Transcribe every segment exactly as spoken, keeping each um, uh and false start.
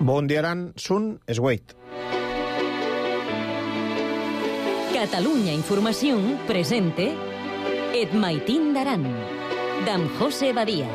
Bon dia, Aran, Sun Esgueit. Catalunya Información presente Et Maitín d'Aran, d'en José Badia.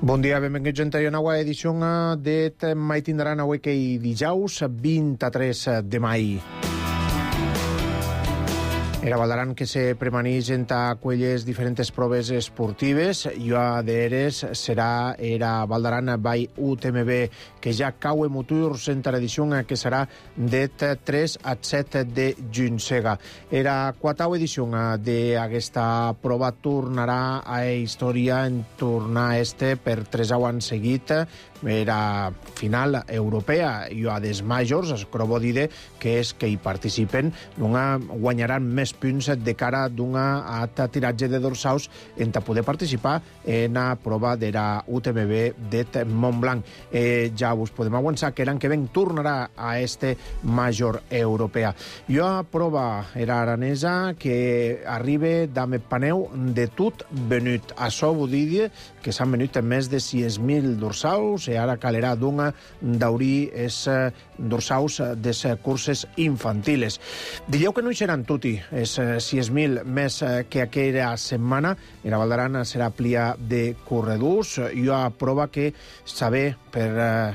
Bon dia, benvinguts a una nova edició d'Et Maitín d'Aran, avui que hi dijous vint-i-tres de maig. Era Valdaran que se premaneix en aquelles diferents proves esportives. Jo d'Eres serà era Valdaran by U T M B, que ja cau en motors en tradició que serà det tres a set de juny. Era quarta edició d'aquesta prova, tornarà a història en tornar este per tres anys seguit. Era final europea i a des majors, es crobo dir que és que hi participen, guanyaran més punts de cara d'una alta tiratge de dorsaus en poder participar en la prova de la U T M B de Montblanc. Eh, ja us podem avançar que l'any que ven tornarà a este major europea. Jo a prova era aranesa que arriba d'ame paneu de tot venut. Això vull dir que s'han venut més de sis mil dorsaus i ara calerà d'una d'aurir és dorsaus des curses infantiles. Dieu que no hi seran tutti, és sis mil més que aquella setmana. Era Valdaran serà plia de corredors. Jo a prova que saber per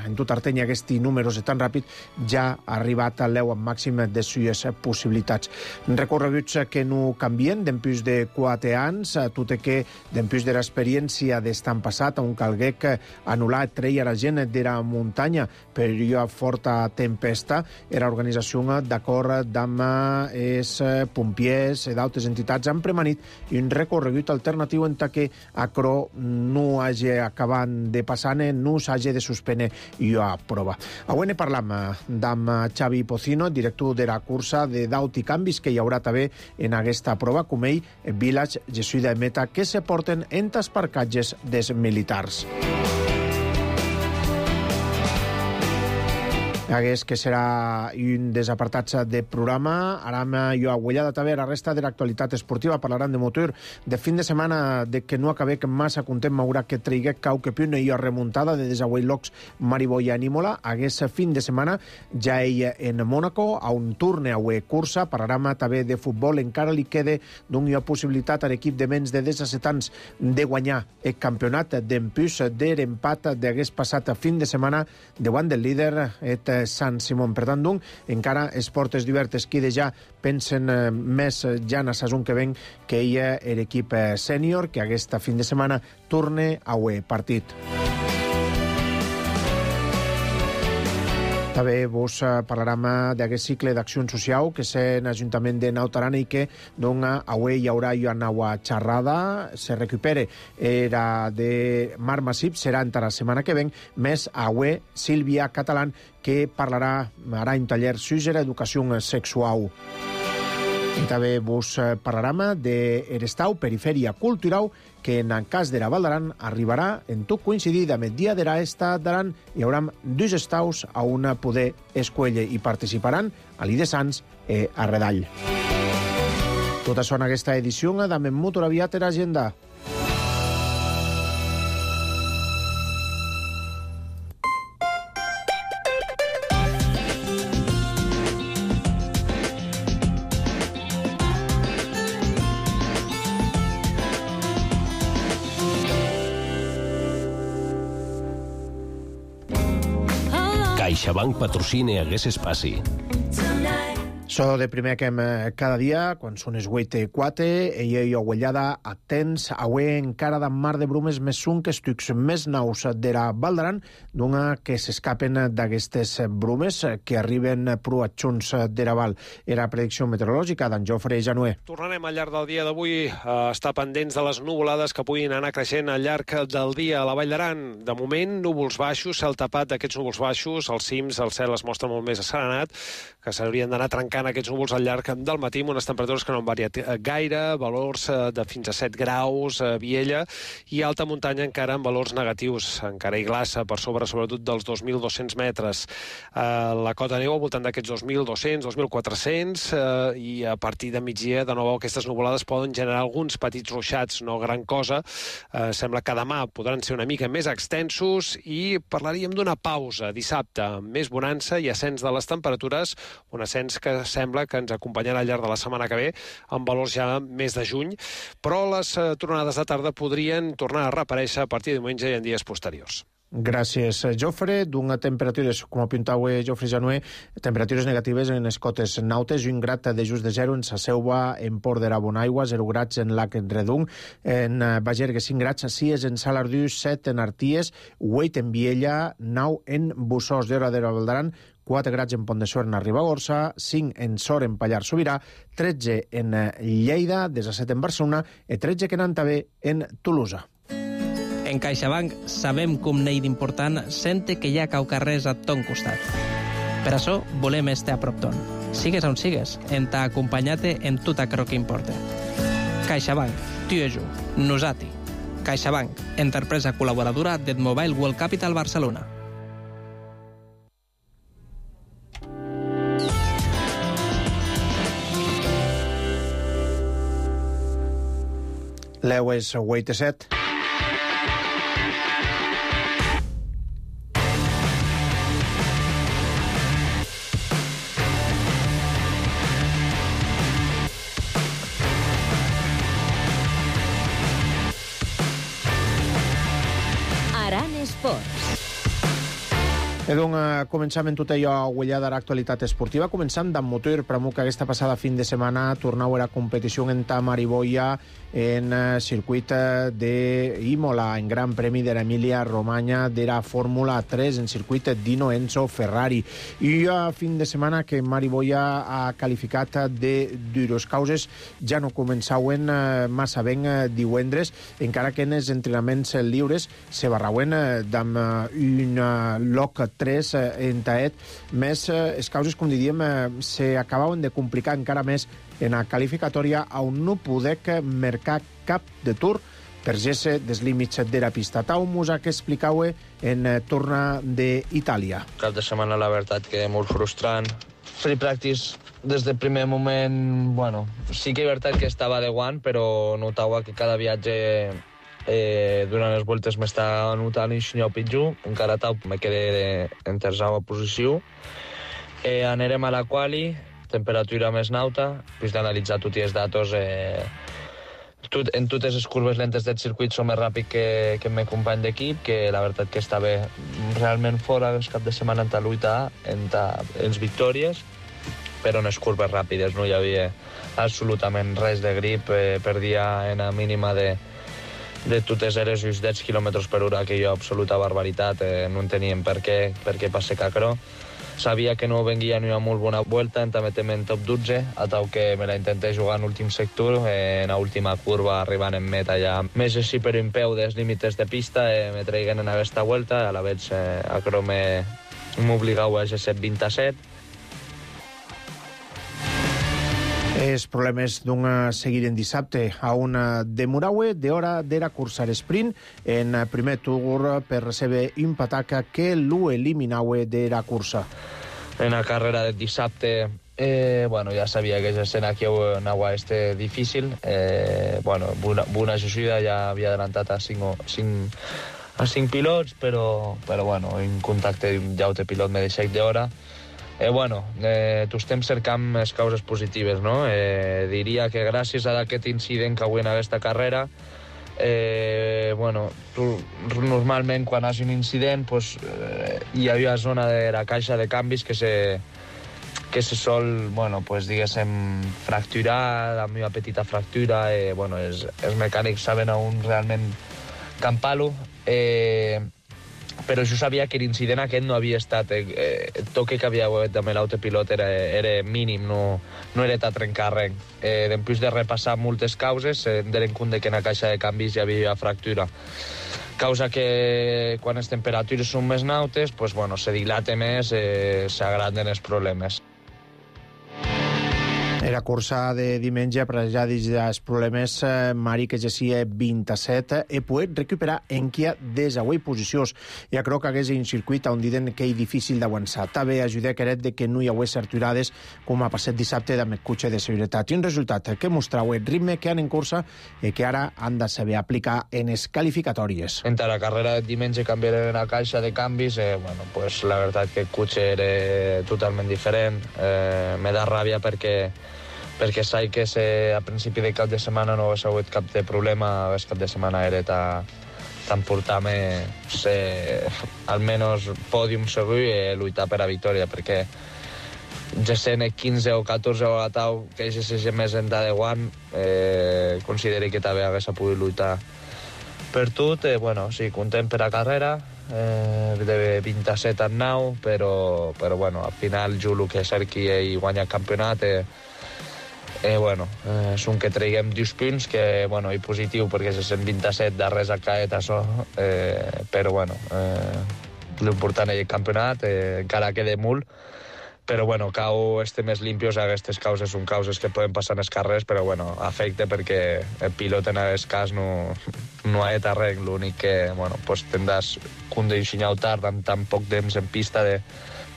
en tot Artenya aquests números tan ràpid ja ha arribat a l'eu màxim de suyes possibilitats. Recorreguts que no canvien d'empús de quatre anys, tot i que d'empús de l'experiència d'estan passat, on calgué que anul·lar treia la gent de la muntanya per jo forta tempesta. Era organització d'acord amb els pompiers i d'altres entitats han premanit un recorregut alternatiu en què acro no hagi acabat de passar, no s'hagi de suspendre jo a prova. Avui ne parlam amb Xavi Pocino, director de la cursa de d'aut i canvis que hi haurà també en aquesta prova, com ell, Village, Jesuïda i Meta, que se porten en els parcatges dels militars. Hagués que serà un dels apartats de programa. Aram jo aguellada també la resta de l'actualitat esportiva. Parlaran de motor de fin de setmana, de que no acabé que massa content m'haurà que traigué cau que piune i remuntada de desagüellocs Mariboi a Nímola. Hagués fin de setmana ja ell en Mónaco a un turne a cursa. Parlaram també de futbol. Encara li queda d'una possibilitat a l'equip de menys de disset anys de guanyar el campionat d'empús de l'empat d'hagués passat fin de setmana davant del líder et Sant Simon. Per tant, doncs, encara esportes divertes qui de ja pensen eh, més ja en la saison que ven que ella era equip eh, sènior, que aquesta fin de setmana torne a un partit. També vos parlarem d'aquest cicle d'acció social que és en l'Ajuntament de Naut Aran i que doncs, avui hi haurà una nova xerrada, se recupere era de Marc Massip, serà entre la setmana que ven, més avui Sílvia Catalán, que parlarà, harà un taller sobre educació sexual. I també vos parlarem d'Erestau, perifèria cultural, que en el cas de la Valdaran arribarà en tot coincidir amb el dia de l'Estat d'Aran. Hi haurà dos estaus a una poder escuelle i participaran a l'I de Sants i a Redall. Tot això en aquesta edició d'Amem Motor aviat era agenda. CaixaBank patrocina Hagués Espaci. So de primer que cada dia, quan són les vuit i quatre, ella i aguellada atents, avui encara de mar de brumes més un que estucs més naus de la Valdaran, d'una que s'escapen d'aquestes brumes que arriben proatxons de la Val. Era predicció meteorològica d'en Jofre Janué. Tornarem al llarg del dia d'avui a estar pendents de les nuvolades que puguin anar creixent al llarg del dia a la Vall d'Aran. De moment, núvols baixos, cel tapat d'aquests núvols baixos, als cims el cel es mostra molt més asserenat, que s'haurien d'anar trencant augmentant aquests núvols al llarg del matí amb unes temperatures que no han variat gaire, valors de fins a set graus a Viella i alta muntanya encara amb valors negatius, encara hi glaça per sobre sobretot dels dos mil dos-cents metres. La cota neu al voltant d'aquests dos mil dos-cents, dos mil quatre-cents i a partir de migdia de nou aquestes nuvolades poden generar alguns petits ruixats, no gran cosa. Sembla que demà podran ser una mica més extensos i parlaríem d'una pausa dissabte, més bonança i ascens de les temperatures, un ascens que sembla que ens acompanyarà al llarg de la setmana que ve, amb valors ja més de juny, però les tornades de tarda podrien tornar a reaparèixer a partir de diumenge i en dies posteriors. Gràcies, Jofre. D'una temperatures, com apuntava Jofre Janué, temperatures negatives en les cotes nautes, un grat de just de zero en Sa Selva, en Port de Bonaigua, zero grats en Lac Redung, en Bagergue cinc grats, sis en Salardú, set en Arties, vuit en Viella, nou en Bussós de Hora de Valdaran, quatre grats en Pont de Suert en Ribagorça, cinc en Sor en Pallars Sobirà, tretze en Lleida, disset en Barcelona i tretze que n'han també en Tolosa. En CaixaBank sabem com n'hi d'important sente que hi ha cau carrers a ton costat. Per això volem estar a prop ton. Sigues on sigues, en t'ha acompanyat en tot aquello que importa. CaixaBank, tu i jo, nosati. CaixaBank, empresa col·laboradora del Mobile World Capital Barcelona. L'Eu és vuit a set. Aran Esports. Edu, començam en tot allò guanyada l'actualitat esportiva. Començam d'en motor, pramo que aquesta passada fin de setmana tornau a la competició en Tamariboia en circuit d'Imola, en Gran Premi de l'Emília Romagna de la Fórmula tres, en circuit Dino Enzo Ferrari. I a fin de setmana que Mariboia ha qualificat de dures causes, ja no començauen massa ben divendres, encara que en els entrenaments lliures se barrauen d'amb un loc tres en Taet, més les causes, com diríem, se acabaven de complicar encara més en la qualificatòria on no podec mercar cap de tour per gesse dels límits de la pista. Tau Musa, que explicau en torna d'Itàlia. Cap de setmana, la veritat, que molt frustrant. Free practice, des del primer moment, bueno, sí que és veritat que estava de guant, però notava que cada viatge Eh, durant les voltes m'està notant un xinyo pitjor, encara tau me quedé en tercera posició. Eh, anirem a la quali, temperatura més nauta, després d'analitzar tots els datos, eh, tot, en totes les curves lentes del circuit som més ràpid que, que el meu company d'equip, que la veritat que està bé realment fora el cap de setmana en ta lluita, en ta, els victòries, però en les curves ràpides no hi havia absolutament res de grip, eh, perdia en la mínima de de totes eres uns deu quilòmetres per hora, que jo absoluta barbaritat, eh, no enteníem per què, per què passe cacró. Sabia que no venguia ni una molt bona vuelta, en també en top dotze, a tal que me la intenté jugar en l'últim sector, eh, en l'última curva, arribant en meta ja més així per un peu dels límits de pista, eh, me traiguen en aquesta vuelta, a la vez eh, a crò m'obligau a G set vint a set. Els problemes d'un seguir en dissabte a una de Muraue de hora de la cursa sprint en primer tour per recebre un pataca que l'ho eliminaue de la cursa. En la carrera de dissabte, eh, bueno, ja sabia que l'escena aquí anava a este difícil. Eh, bueno, Buna Josida ja havia adelantat a cinc, cinc, a cinc pilots, però, però bueno, en contacte amb un pilot me deixat d'hora. Eh, bueno, eh, tu estem cercant les causes positives, no? Eh, diria que gràcies a aquest incident que avui en aquesta carrera, eh, bueno, tu, normalment quan hi ha un incident pues, eh, hi havia zona de la caixa de canvis que se, que se sol, bueno, pues, diguéssim, fracturar, la meva petita fractura, eh, bueno, els, els mecànics saben on realment campar-lo, eh, però jo sabia que l'incident aquest no havia estat, eh, el toque que havia hagut amb l'autopilot era, era mínim, no, no era de trencar res. Eh, després de repassar moltes causes, eh, em donen compte que en la caixa de canvis hi havia fractura. Causa que quan les temperatures són més nautes, pues, bueno, se dilata més, eh, s'agranden els problemes. Era cursa de diumenge, per ja dels problemes, Mari que gessia vint-i-set e poder recuperar enquia des avui posicions. Ja crec que hagués un circuit on diuen que és difícil d'avançar. També ajuda queret de que no hi hagués aturades com ha passat dissabte amb el cotxe de seguretat. I un resultat que mostrau el ritme que han en cursa i que ara han de saber aplicar en les qualificatòries. Entre la carrera de diumenge canviaré la caixa de canvis, eh, bueno, pues la veritat que el cotxe era totalment diferent. Eh, me da ràbia perquè perquè saig que se, a principi de cap de setmana no hagués hagut cap de problema, el cap de setmana era tan, tan portar-me almenys pòdium segur i lluitar per a victòria, perquè ja sent quinze o catorze o a tau que és el més enllà de guant, eh, consideri que també hagués pogut lluitar per tot. Eh, bueno, sí, content per a carrera, eh, de vint-i-set a nou, però, però bueno, al final jo el que cerqui i guanyar el campionat eh, Eh, bueno, eh, són que traiguem dos punts, que bueno, és positiu perquè se cent vint-i-set de res a caet això, eh, però bueno, eh, l'important és el campionat, eh, encara queda molt, però bueno, cau este més limpios, aquestes causes són causes que poden passar en els carrers, però bueno, afecta perquè el pilot en aquest cas no, no ha de res, l'únic que, bueno, pues tindràs condicionar tard amb tan poc temps en pista de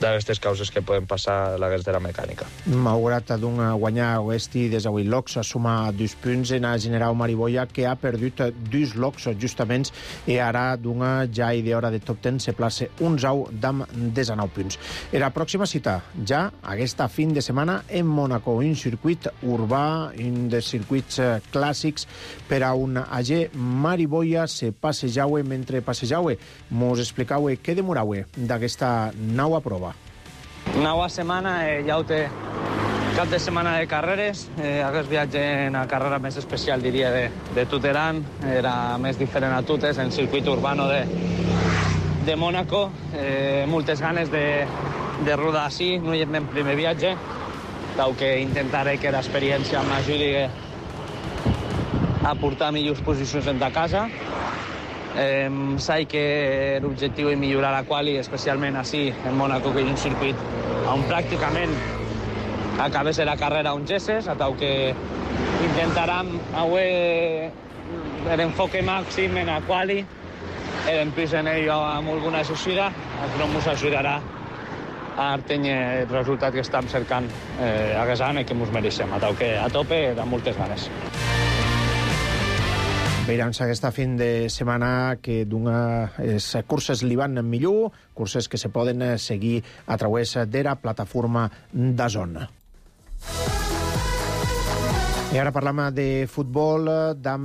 d'aquestes causes que poden passar a l'hagués de la mecànica. Malgrat d'un guanyar Oesti des d'avui locs, suma dos punts en el general Mariboia, que ha perdut dos locs justament, i ara d'una ja i d'hora de top deu se place un zau d'am desenou punts. Era la pròxima cita, ja aquesta fin de setmana en Mònaco, un circuit urbà, un dels circuits clàssics per a un agent Mariboia se passejaue mentre passejaue. Mos explicaue què demoraue d'aquesta nova prova. Nova setmana, eh, ja ho té cap de setmana de carreres. Eh, aquest viatge en la carrera més especial, diria, de, de Tuteran. Era més diferent a Tutes, en circuit urbano de, de Mònaco. Eh, moltes ganes de, de rodar així. No hi és el primer viatge, tal que intentaré que l'experiència m'ajudi a portar millors posicions en la casa. Eh, sé que l'objectiu és millorar la quali, especialment així en Mònaco, que és un circuit on pràcticament acabés la carrera on gesses, a tal que intentarem avui l'enfoque màxim en la quali, després en ell amb alguna associada, això ens ajudarà a tenir el resultat que estem cercant eh, aquest any i que ens mereixem, a tal que a tope amb moltes ganes. Veurem aquesta fin de setmana que les curses li van millor, curses que se poden seguir a través de la plataforma DAZN. I ara parlam de futbol, d'am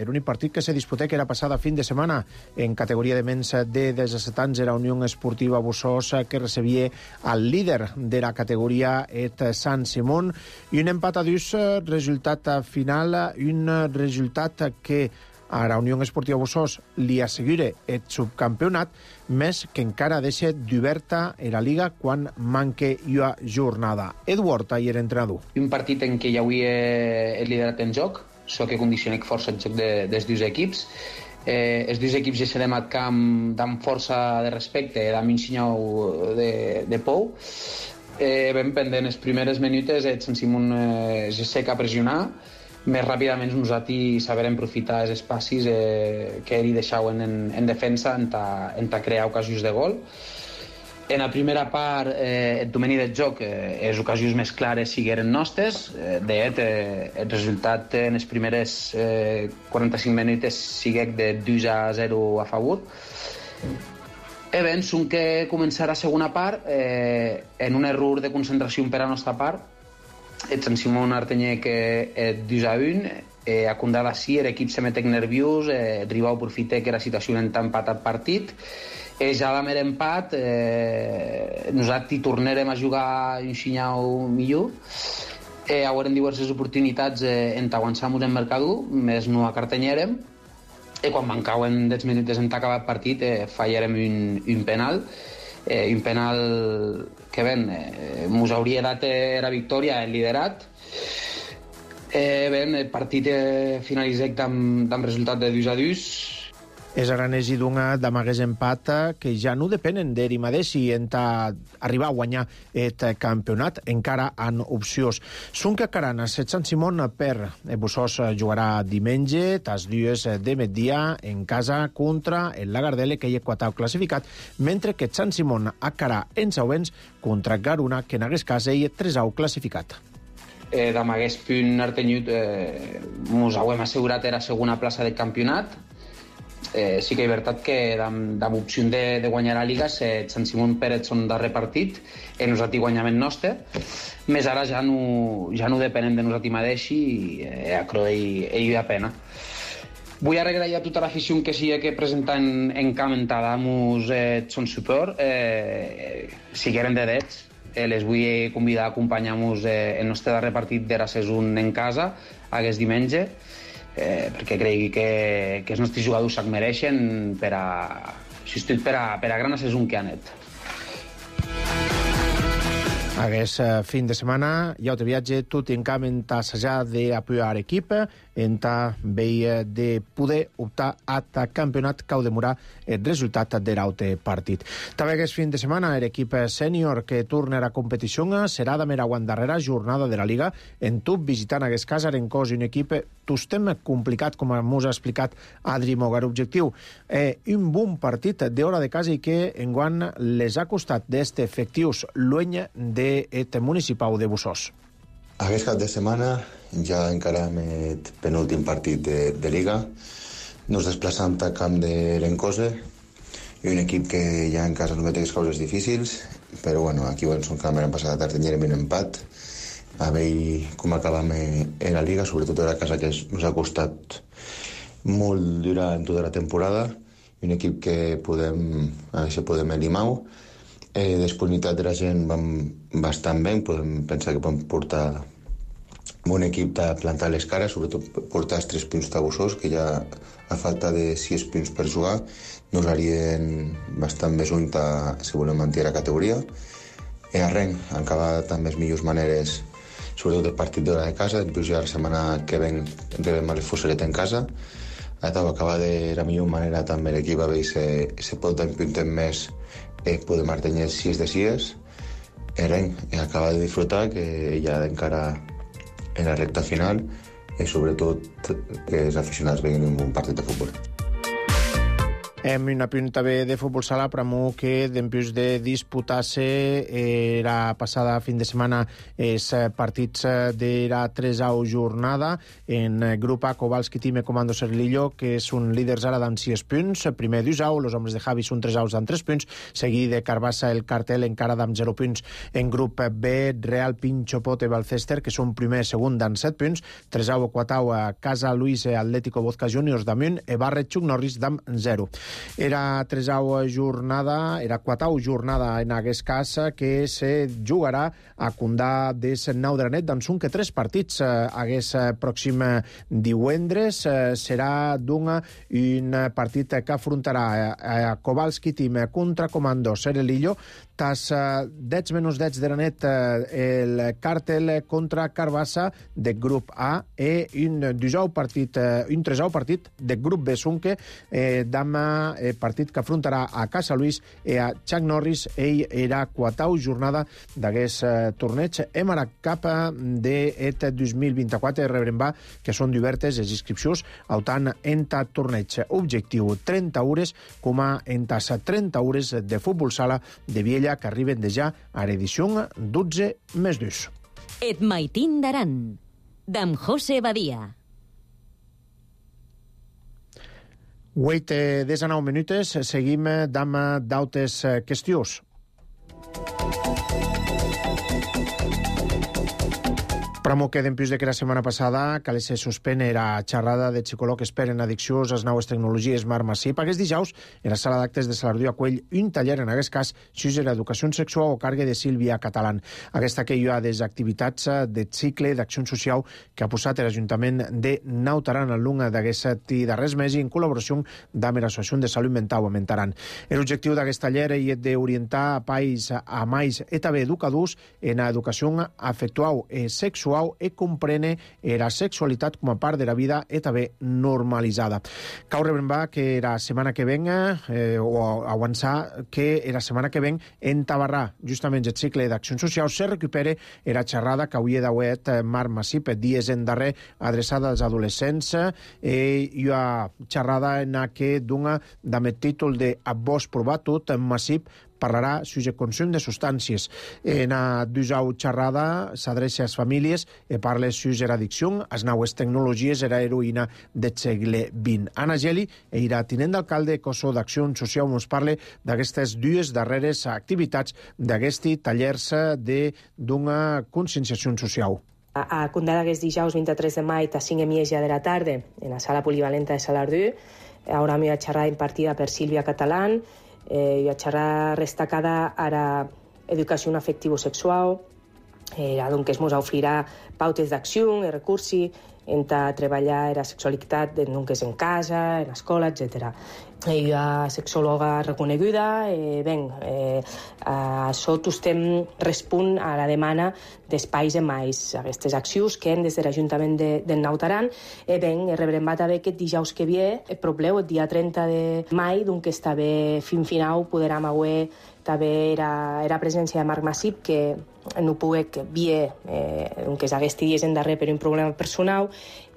l'únic partit que se disputé, que era passada fin de setmana en categoria de menys de disset anys, era Unió Esportiva Bussos, que recebia el líder de la categoria, et Sant Simón, i un empat a dos, resultat final, un resultat que a la Unió Esportiva Bussos li assegura el subcampionat, més que encara deixa d'oberta la Liga quan manque una jornada. Eduard, ahir entrenador. Un partit en què ja avui he liderat en joc, so que condiciona força el joc de, dels dos equips. Eh, els dos equips ja serem al camp amb força de respecte, amb un senyal de, de pou. Eh, ben pendent, les primeres minutes el Sant Simón eh, ja sé que a pressionar, més ràpidament nosaltres sabrem aprofitar els espacis eh, que li deixaven en, en defensa en ta, en ta crear ocasions de gol. En la primera part, eh, el domini del joc, eh, les ocasions més clares sigueren nostres. Eh, de fet, eh, el resultat en les primeres eh, quaranta-cinc minuts siguec de dos a zero a favor. E bé, som que començar la segona part eh, en un error de concentració per a la nostra part. El Sant Simón Artenyer que és dos a un, eh, a condar així, l'equip se metec nerviós, eh, el rival aprofita que la situació en tan empat al partit, eh, ja vam haver empat, eh, nosaltres tornarem a jugar un senyal millor, eh, haurem diverses oportunitats eh, en avançar-nos en mercador, més no acartanyarem, i quan mancaven deu minuts en acabar el partit eh, fallarem un, un penal, eh, un penal que ben, eh, mos hauria dat eh, la victòria, el liderat. Eh, ben, el partit eh, finalitzat amb, amb resultat de dos a dos. És aranès i dunga d'amagues empat que ja no depenen d'eri madeixi en arribar a guanyar el campionat. Encara han opcions. Sunca Carana, set Sant Simon per Bussós jugarà diumenge, tas dues de migdia en casa contra el Lagardelle, que hi ha quatau classificat, mentre que Sant Simon a Carà en Sauvens contra Garuna, que en hagués cas hi ha tresau classificat. Eh, d'amagués punt artenyut eh, mos hauem assegurat era segona plaça del campionat. Eh, sí que és veritat que amb, amb opció de, de guanyar la Liga, eh, Sant Simon Pérez són darrer partit, i nosaltres guanyament nostre, més ara ja no, ja no depenem de nosaltres mateixi i eh, a Croe ell da pena. Vull agrair a tota l'afició que sigui que presenten en camp en Tadamus eh, son suport, eh, sigueren de dets. Eh, les vull convidar a acompanyar-nos eh, el nostre darrer partit de la saison en casa, aquest diumenge, eh, perquè cregui que, que els nostres jugadors se'n mereixen per a, per a, per a gran saison que han anat. Aquest fin de setmana hi ha un viatge tot en camp en assajar d'apoyar l'equip, en veia de poder optar a ta campionat que ha de demorar el resultat de l'altre partit. També aquest fin de setmana l'equip sènior que torna a la competició serà de mera darrera jornada de la Liga en tub visitant aquest cas Arencós, un equip tostem complicat, com ens ha explicat Adri Mogar. Objectiu, eh, un bon partit d'hora de casa i que enguany les ha costat d'este efectius lueny del municipal de Bussós. Aquest cap de setmana ja encarem el penúltim partit de, de Liga. Nos desplaçam al camp de l'Encose i un equip que ja en casa no té coses difícils, però bueno, aquí en son camp l'any passat a tenir un empat a veure com acabam en la Liga, sobretot a la casa que ens ha costat molt durant tota la temporada, i un equip que podem, a veure si podem elimar. Eh, disponibilitat de la gent vam bastant bé, podem pensar que podem portar bon equip de plantar les cares, sobretot portar els tres punts tabussos, que ja a falta de sis punts per jugar nos harien bastant més uny si volem mantenir la categoria. I arrenc, acabar també les millors maneres, sobretot el partit d'hora de casa, després ja la setmana que ven rebem a les Fuseret en casa. Acabar de la millor manera també l'equip a veure si se pot dar un puntet més. Eh, podem mantenir sis de sis, i res, acabar de disfrutar, que ja encara en la recta final, i sobretot que els aficionats vegin un bon partit de futbol. Hem una punta bé de futbol sala, però que després de disputar-se la passada fin de setmana els partits de la tresau jornada en grup A, Kowalski Time Comando Serlillo, que són líders ara amb sis punts, primer d'Usau, els homes de Javi són tres aus amb tres punts, seguit de Carbassa el Cartel encara amb zero punts. En grup B, Real Pincho Pote Balcester, que són primer i segon amb set punts, tresau Quatau Casa Luis Atlético Vodka Juniors damunt, e Barret Chuck Norris amb zero. Era tresau jornada, era quatau jornada en aquest cas, que se jugarà a Condà des nou de la nit, doncs són que tres partits aquest pròxim divendres. Serà d'un un partit que afrontarà a Kowalski Team contra Comando Serlillo, tas dez menys dez de la nit el Cartel contra Carbassa de grup A, i un disau partit, un tresau partit de grup B Sunque, eh, demà eh, partit que afrontarà a Casa Luis i a Chuck Norris. Ell era quatau jornada d'aquest eh, torneig. Hem ara cap d'aquest dos mil vint-i-quatre, rebrem va que són diverses les inscripcions autant en ta torneig. Objectiu trenta hores, com a en tas trenta hores de futbol sala de Viella, que arriben de ja a l'edició dotze més dos. Et maitín d'Aran, d'en José Badia. Huit de nou minuts, seguim amb d'altres qüestions. Però que d'empús de que la setmana passada que se suspèn era xerrada de psicòleg expert en addiccions a les noves tecnologies Marc Massip. Aquest dijous, en la sala d'actes de Salardú acull un taller, en aquest cas, sobre l'educació sexual o càrrega de Sílvia Catalán. Aquesta que hi ha des activitats de cicle d'acció social que ha posat l'Ajuntament de Nautaran al lung d'aquest darrers mesos en col·laboració amb l'Associació de Salut Mental a Mentaran. L'objectiu d'aquest taller és d'orientar a pais a mais i també educadors en l'educació afectual i sexual suau e comprene era sexualitat com a part de la vida e també normalitzada. Cau rebrembar que la setmana que venga, eh, o avançar que la setmana que ven en Tabarrà, justament el cicle d'acció social, se recupere era xerrada que hauria d'haver Marc Masip dies en darrer adreçada als adolescents e hi ha xerrada en què dona amb el títol de Abós provat tot, Masip parlarà sobre el consum de substàncies. En a dusau xerrada s'adreça a les famílies i parla sobre l'addicció, les noves tecnologies i l'heroïna del segle vint. Anna Geli, era tinent d'alcalde de Cosso d'Acció Social, ens parla d'aquestes dues darreres activitats d'aquests tallers d'una conscienciació social. A Condada aquest dijous vint-i-tres de maig a cinc i mitja de la tarda en la sala polivalenta de Salardú. Ara m'hi ha xerrada impartida per Sílvia Catalán. Eh, hi ha xerrada destacada a l'educació afectivo-sexual, eh, on es ens oferirà pautes d'acció, de recursos, en treballar la sexualitat en en casa, en l'escola, etcètera. Hi ha sexòloga reconeguda, eh, ben, eh, això estem respon a la demanda d'espais de mais. Aquestes accions que hem des de l'Ajuntament de, de Naut Aran, eh, ben, rebrem també aquest dijous que ve, el probleu, el dia trenta de maig, donc està bé fin final, podrem avui també era, era presència de Marc Masip, que no pogué vir, eh, que s'hagués dies en darrer per un problema personal,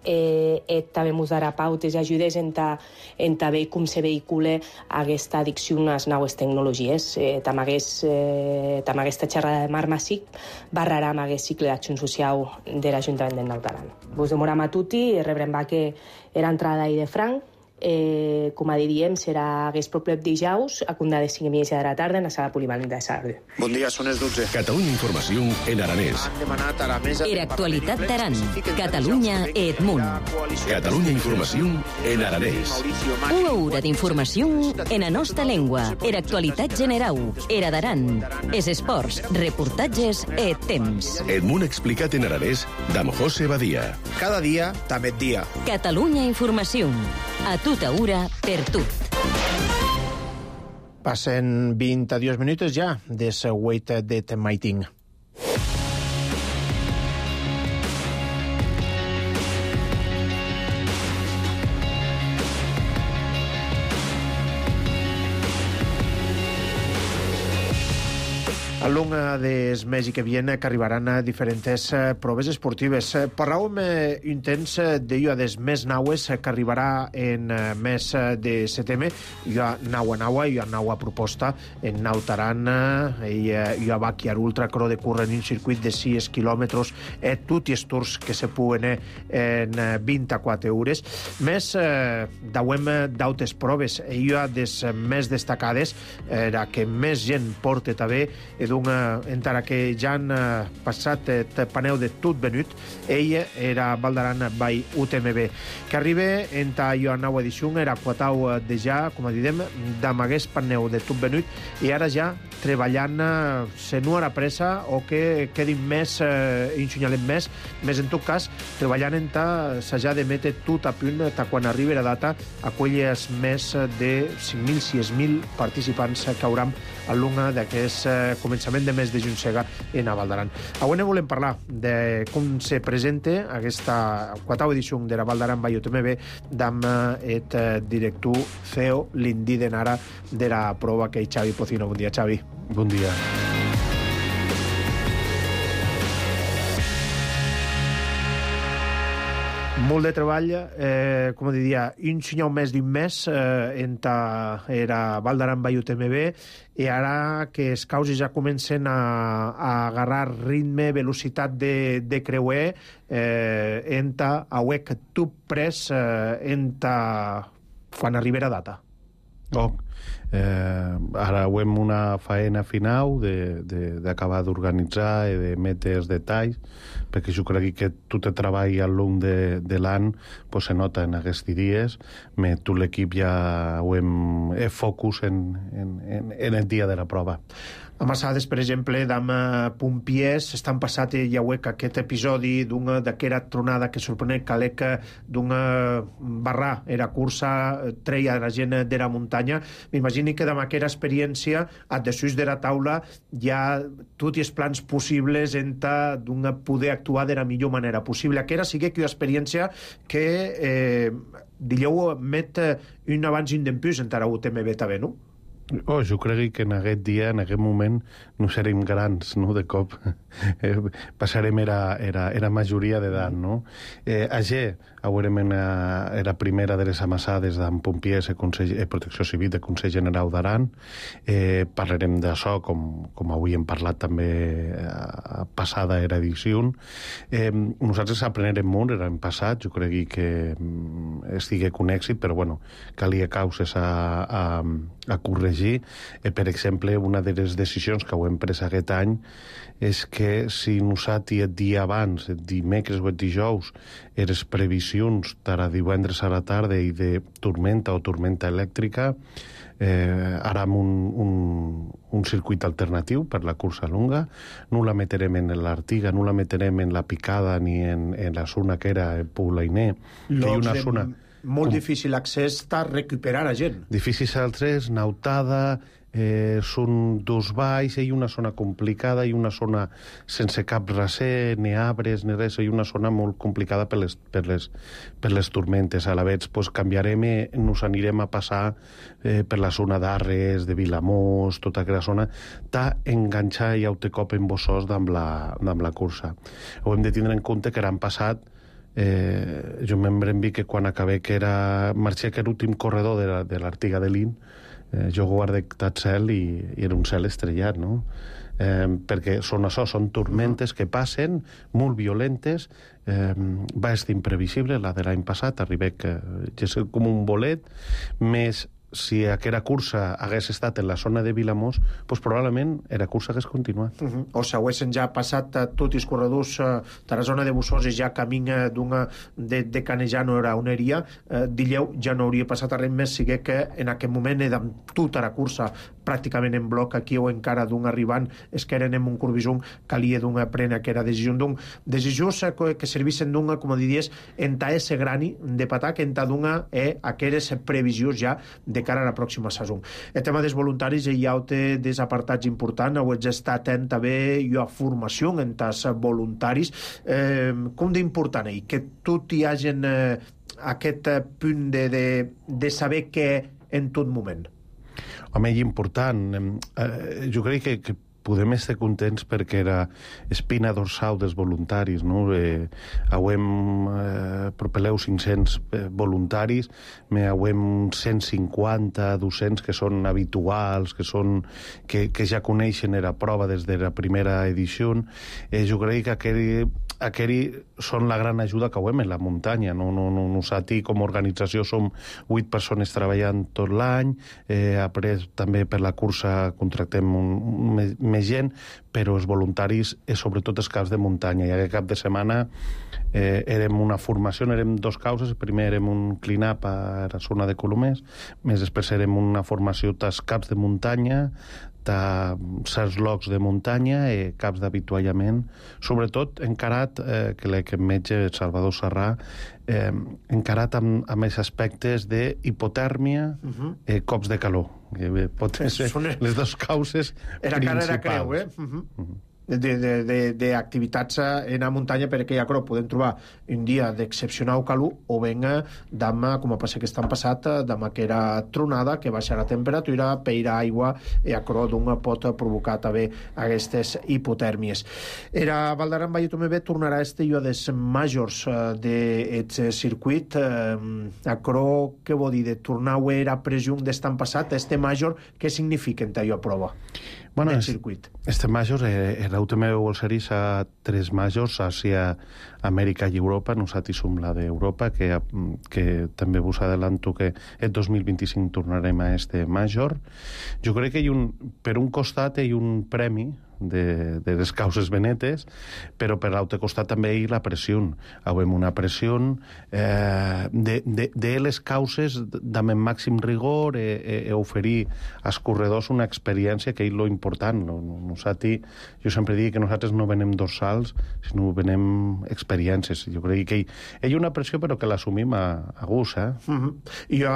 eh, eh, també ens darà pautes i ajudes en, ta, en també com se vehicula aquesta addicció a les noves tecnologies. Eh, també, hagués, eh, també aquesta xerrada de Marc Masip barrarà amb aquest cicle d'acció social de l'Ajuntament de Naut Aran. Vos demoram a tutti i rebrem que era entrada i de franc. Eh, com a diríem, serà aquest proper dijous a Condada de cinc i mitja de la tarda en la sala polivalenta de Salardú. Bon dia, són les dotze. Catalunya Informació en aranès. Era actualitat d'Aran. Catalunya et munt. Catalunya Informació en aranès. Una hora d'informació en la nostra llengua. Era actualitat generau. Era d'Aran. Es esports, reportatges et temps. Et munt explicat en aranès d'amb José Badia. Cada dia, també dia. Catalunya Informació. A tota hora, per tot. Passen vint-i-dos minuts ja de la wait de Maiting. Al long dels mesos que vienen que arribaran a diferents proves esportives. Parlàvem un temps d'allò dels més naues que arribarà en mes de setembre. Hi ha naua naua, hi ha naua proposta en Naut Aran, hi ha Bàquia Ultra Cro de córrer en un circuit de sis quilòmetres, tots els tours que se puguen en vint-i-quatre hores. Més dauem d'altres proves. Hi ha des més destacades, la que més gent porta també, encara que ja han passat el paneu de tot venut, ell era Valdaran by U T M B, que arriba en ta nova edició, era quatau de ja, com a didem, d'amagués paneu de tot venut, i ara ja treballant se no ara pressa o que quedin més, eh, ensenyalem més, més en tot cas, treballant en ta s'ha de metre tot a punt ta quan arribi la data aquelles més de cinc mil, sis mil participants que hauran al long d'aquest eh, començament de mes de juny en a Valdaran. Avui ne volem parlar de com se presenta aquesta quarta edició de la Valdaran by U T M B amb el director C E O l'Indi de Nara de la prova que és Xavi Pocino. Bon dia, Xavi. Bon dia. Molt de treball, eh, com diria, un senyal més d'un mes eh, en ta era Valdaran by U T M B, i ara que els causes ja comencen a, a agarrar ritme, velocitat de, de creuer, eh, en ta auec que tu pres eh, en ta quan arribera data. Oh, eh, ara hem una faena final d'acabar d'organitzar i de metre els detalls, perquè jo crec que tot el treball al long de, de l'any pues, se nota en aquests dies, però tot l'equip ja ho hem eh, focus en, en, en, en el dia de la prova. A Massades, per exemple, d'Am Pompiers, estan passat ja ho aquest episodi d'una d'aquera tronada que sorprenent calec d'una barra, era cursa, treia la gent de la muntanya. M'imagino que d'amb aquera experiència, a desús de la taula, hi ha tots els plans possibles en d'una poder actuar de la millor manera possible. Aquesta sigui que una experiència que eh, digueu met un abans i un dempús encara U T M B també, no? Oh, jo crec que en aquest dia, en aquest moment, no serem grans, no?, de cop. Eh, passarem era, era, era majoria d'edat, no? Eh, ayer haurem una, era primera de les amassades d'en Pompiers i eh, Protecció Civil de Consell General d'Aran. Eh, parlarem d'això, com, com avui hem parlat també a passada era edició. Eh, nosaltres aprenem molt l'any passat, jo crec que estigui un èxit, però bueno, calia causes a, a, a corregir. Eh, per exemple, una de les decisions que ho hem pres aquest any és que si nosaltres el dia abans, el dimecres o el dijous, les previsions per a divendres a la tarda i de tormenta o tormenta elèctrica, eh, harem un, un, un circuit alternatiu per la cursa longa, no la meterem en l'Artiga, no la meterem en la Picada ni en, en la zona que era el Poulainer, que hi ha una zona... Molt com... difícil accés a recuperar a gent. Difícil accés, nautada, eh, són dos valls, hi ha una zona complicada, hi ha una zona sense cap raser, ni arbres, ni res, hi ha una zona molt complicada per les, per les, per les tormentes. A la vegada, pues, canviarem, nos anirem a passar eh, per la zona d'Arres, de Vilamós, tota aquella zona, t'ha enganxat i autocop en bossos amb la, amb la cursa. Ho hem de tindre en compte que l'any passat Eh, jo me'n vi que quan acabé que era marxé que era l'últim corredor de, la, de l'Artiga de l'In, eh, jo guardé tot cel i, i era un cel estrellat, no? Eh, perquè són això, són tormentes que passen, molt violentes, eh, va ser imprevisible la de l'any passat, arribé que és com un bolet, més si aquella cursa hagués estat en la zona de Vilamós, pues probablement la cursa hagués continuat. Uh -huh. O si haguessin ja passat uh, tots els corredors uh, de la zona de Bussós i ja camí uh, d'una de, de Canejano era on eria, uh, Dilleu ja no hauria passat res més, sigui que en aquest moment era tota la cursa pràcticament en bloc aquí o encara d'un arribant, és que eren en un corbisum, calia d'una prena que era decisió d'un decisions que servissin d'una, com diries, enta ese grani de patac, enta d'una eh, aquelles previsions ja de cara a la pròxima saison. El tema dels voluntaris hi ha des apartats importants, heu d'estar atent també i a formació en els voluntaris. Eh, com d'important és que tot hi hagi eh, aquest punt de, de, de saber què en tot moment? Home, és important. Eh, jo crec que, que podem estar contents perquè era espina dorsal dels voluntaris, no? Eh, hauem eh, propeleu cinc-cents eh, voluntaris, me hauem cent cinquanta, dues-cents que són habituals, que són que, que ja coneixen la prova des de la primera edició. Eh, jo crec que aquell Aquells són la gran ajuda que hauem en la muntanya. No, no, no, nosaltres, com a organització, som vuit persones treballant tot l'any. Eh, après, també per la cursa contractem un, un, més, més gent, però els voluntaris, és sobretot els caps de muntanya. I aquest cap de setmana eh, érem una formació, érem dos causes. Primer érem un clean-up a la zona de Colomers, més després érem una formació dels caps de muntanya, a certs llocs de muntanya i caps d'avituallament, sobretot encarat, eh, que l'equip metge Salvador Serrà, eh, encarat amb, amb els aspectes d'hipotèrmia, uh-huh. eh, cops de calor. Que pot ser les dues causes era principals. Era cara, era creu, eh? Uh-huh. Uh-huh. d'activitats en la muntanya, perquè ja creu, podem trobar un dia d'excepcional calor o venga demà, com a passa que estan passat, demà que era tronada, que baixa la temperatura, peira aigua, i a creu d'un pot provocar també aquestes hipotèrmies. Era Valdaran Valle Tomé tornarà este i des majors d'aquest circuit. A creu, què vol dir, de tornar a era presumpte d'estan passat, este major, què significa en tallo a prova? Bueno, este major, eh, l'U T M B World Series a tres majors, Àsia, Amèrica i Europa. Nosaltres som la d'Europa, que, que també vos adelanto que el dos mil vint-i-cinc tornarem a este major. Jo crec que hi un, per un costat hi ha un premi de, de les causes benetes, però per l'altre costat també hi ha la pressió. Hauem una pressió eh, de, de, de les causes amb el màxim rigor i eh, eh, oferir als corredors una experiència que és lo important. No, no, nosaltres, jo sempre dic que nosaltres no venem dorsals, sinó venem experiència experiències. Jo crec que hi ha una pressió però que l'assumim a, a gust, eh? Uh -huh. I jo,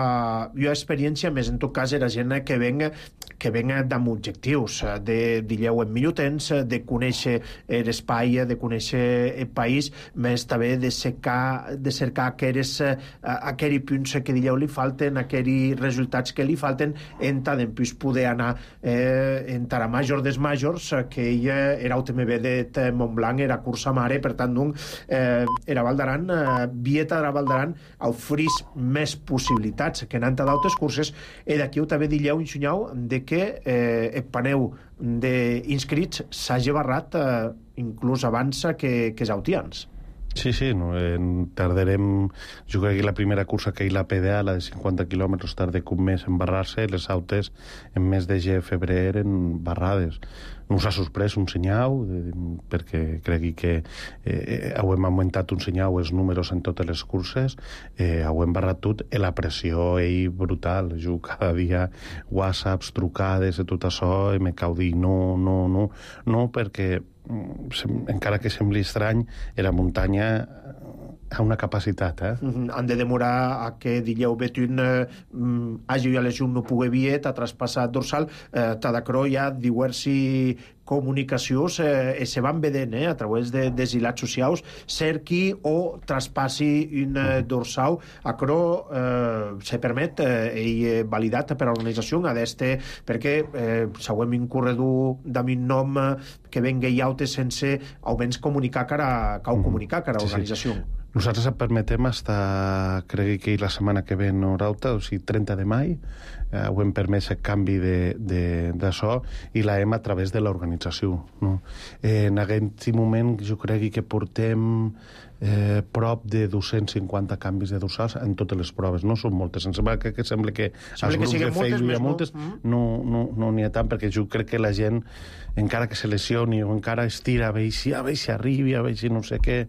jo experiència, més en tot cas era gent que venga que venga amb objectius, de dilleu en millor temps, de conèixer l'espai, de conèixer el país, més també de cercar, de cercar aquells, aquells punts que dilleu li falten, aquells resultats que li falten, en tant en plus poder anar eh, en a major des majors, que ella era U T M B de Montblanc, era cursa mare, per tant, doncs, eh, era Val d'Aran, eh, Vieta de Val d'Aran oferís més possibilitats que anant a d'altres curses, i d'aquí ho també dilleu i ensenyau de que eh, el paneu d'inscrits s'hagi barrat eh, inclús abans que, que els autians. Sí, sí, no, en tardarem... Jo crec que la primera cursa que hi la P D A, la de cinquanta quilòmetres, tarda un mes en barrar-se, les autes en mes de ge, febrer eren barrades. No us ha sorprès un senyal, perquè crec que eh, hem augmentat un senyal els números en totes les curses, eh, hem barrat tot, i la pressió és brutal. Jo cada dia whatsapps, trucades i tot això, i me cau dir no, no, no, no, perquè encara que sembli estrany, la muntanya ha una capacitat, eh? Mm-hmm. Han de demorar a que dilleu Betun eh, hagi a l'ejun no pugui viet, ha traspassat dorsal, eh, Tadacro hi ha diversi comunicacions eh, se van vedent eh, a través de, de hilats socials, cerqui o traspassi un eh, dorsal, acro eh, se permet eh, i validat per l'organització a d'este, perquè eh, s'hauem un corredor d'amin nom eh, que vengui autes sense almenys comunicar cara, cau comunicar cara a l'organització. Sí, sí. Nosaltres et permetem hasta, crec que la setmana que ve no rauta, o sigui, trenta de mai, eh, ho hem permès el canvi d'això i la hem a través de l'organització. No? Eh, en aquest moment jo crec que portem eh, prop de dos-cents cinquanta canvis de dorsals en totes les proves. No són moltes. Em sembla que, que sembla que als grups de Facebook hi ha moltes, no n'hi no, no ha tant, perquè jo crec que la gent, encara que se lesioni o encara estira, a veure si, a veure si arribi, a veure si no sé què,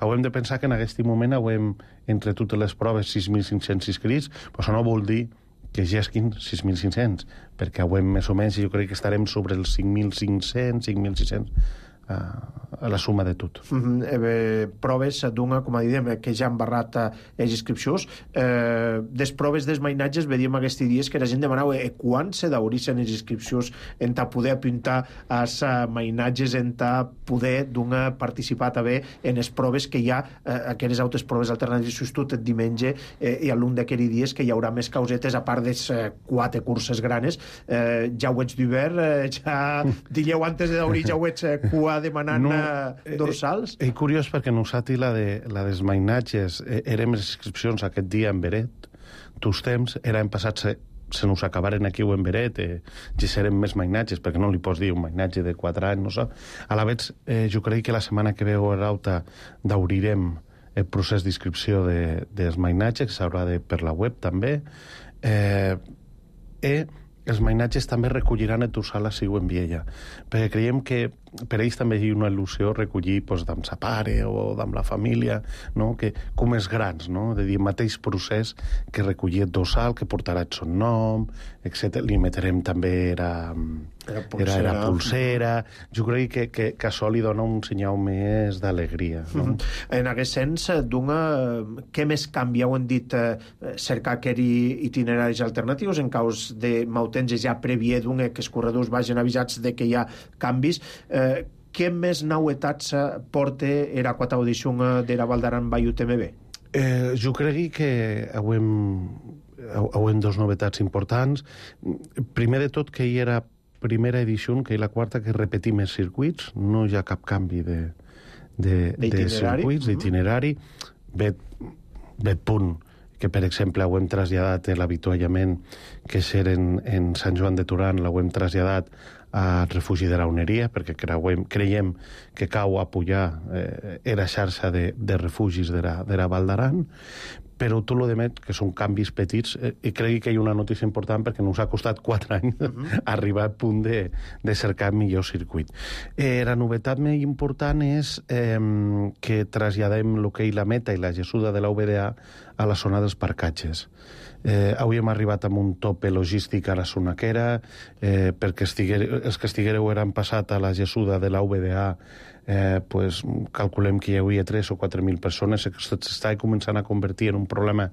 hem de pensar que en aquest moment hem, entre totes les proves, sis mil cinc-cents inscrits, però això no vol dir que gesquin sis mil cinc-cents, perquè hem més o menys, jo crec que estarem sobre els cinc mil cinc-cents, cinc mil sis-cents, a la suma de tot. Mm-hmm. eh, proves d'una, com a diem, que ja han barrat eh, les inscripcions. Eh, des proves dels mainatges vedíem aquests dies que la gent demanava eh, quan se daurisen les inscripcions en ta poder apuntar als uh, mainatges, en ta poder d'una participar també en les proves que hi ha, eh, aquelles altres proves alternatives tot el diumenge eh, i a l'un d'aquells dies que hi haurà més causetes a part de eh, quatre curses granes. Eh, ja ho ets d'hivern, eh, ja dilleu antes de daurir ja ho ets eh, cua demanant no, eh, dorsals? És eh, curiós perquè nosaltres la, de, la dels mainatges eh, érem les inscripcions aquest dia en Beret, tots temps eren passats se, se nos acabaren aquí o en Beret, eh, ja serem més mainatges, perquè no li pots dir un mainatge de quatre anys, no sé. A la vegada, eh, jo crec que la setmana que ve o l'altra daurirem el procés d'inscripció de, dels mainatges, que s'haurà de per la web també, eh, i els mainatges també recolliran el dorsal a Siu en Viella, perquè creiem que per ells també hi ha una il·lusió recollir doncs, amb sa pare o amb la família, no? Que, com els grans, no? De dir, el mateix procés que recollir el dorsal, que portarà el son nom, etcètera. Li metrem també era, era, pulsera. era, era pulsera. Jo crec que, que, que això li dona un senyal més d'alegria. No? Mm-hmm. En aquest sens, d'una, què més canvia? Ho hem dit, eh, cercar aquells itineraris alternatius en caus de mautenges ja prèvia d'un que els corredors vagin avisats de que hi ha canvis. Eh, què més novetats porta era quata audició de la Val d'Aran by U T M B? Eh, jo crec que hem, hem dos novetats importants. Primer de tot, que hi era primera edició, que hi la quarta, que repetim els circuits, no hi ha cap canvi de, de, de circuits, d'itinerari. Ve, ve punt que, per exemple, ho hem traslladat l'avituallament que és en, en Sant Joan de Torà, l'hem traslladat al refugi de la Uneria, perquè creiem, creiem que cau a pujar eh, era xarxa de, de refugis de la, de la Val d'Aran, però tot el demés, que són canvis petits, eh, i crec que hi ha una notícia important perquè ens ha costat quatre anys uh-huh. arribar al punt de, de cercar millor circuit. Eh, la novetat més important és eh, que traslladem el que és la meta i la gessuda de la U B D A a la zona dels parcatges. Eh, avui hem arribat amb un tope logístic a la Sonaquera, eh, perquè estiguer, els que estiguereu eren passat a la Gessuda de la U B D A, eh, pues, calculem que hi havia tres o quatre mil persones, s'està començant a convertir en un problema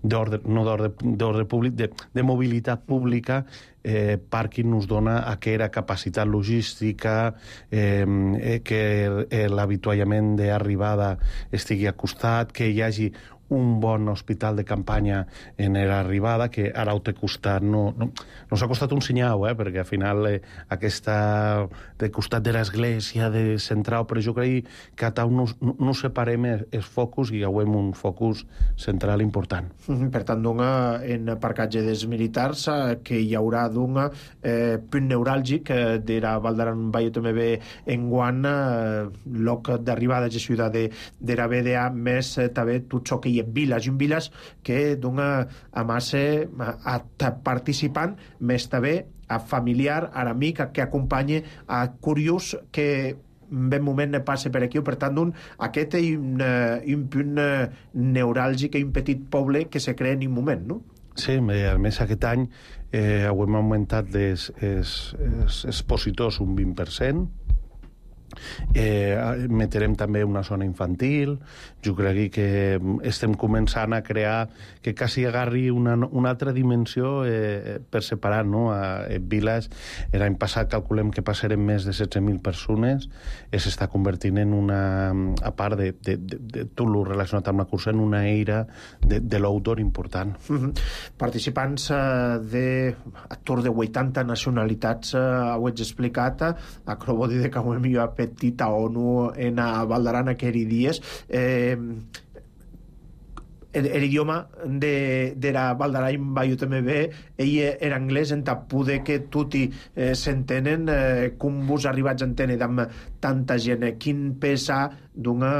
d'ordre, no d'ordre públic, de, de mobilitat pública. Eh, Parking nos dona aquella capacitat logística, eh, que eh, l'avituallament d'arribada estigui a costat, que hi hagi un bon hospital de campanya en l'arribada, que ara ho té costat, no, no, no s'ha costat un senyau, eh, perquè al final eh, aquesta de costat de l'església, de central, però jo crec que a tal no, no, no separem els focus i hi haurem un focus central important. Mm-hmm. Per tant, doncs, en parcatge dels militars, eh, que hi haurà doncs, eh, punt neuràlgic eh, de la Val d'Aran Baio T M B en guant, eh, lloc d'arribada de ciutat de, de la B D A, més eh, també tot això que hi ha viles i un viles que dona a massa a, a participant, més també a familiar, a amic, a que acompanya a curiós que ben moment passa per aquí, per tant, un, aquest és un, un punt neuràlgic i un petit poble que se crea en un moment, no? Sí, a més aquest any eh, hem augmentat les, els, els expositors un vint per cent. Eh, meterem també una zona infantil. Jo crec que estem començant a crear que quasi agarri una, una altra dimensió eh, per separar, no? A, a Viles, l'any passat calculem que passarem més de setze mil persones, s'està convertint en una, a part de, de, de, de tot el relacionat amb la cursa, en una eira de, de l'outdoor important. Mm-hmm. Participants eh, de actors de vuitanta nacionalitats, eh, ho ets explicat, acabo de dir que ho hem jo petita ONU en a Val d'Aran aquells dies. Eh, l'idioma de, de la Val d'Aran Baio T M B ell era anglès, en tapude que tutti eh, s'entenen, eh, com vos arribats a entendre amb tanta gent, eh, quin pesa d'una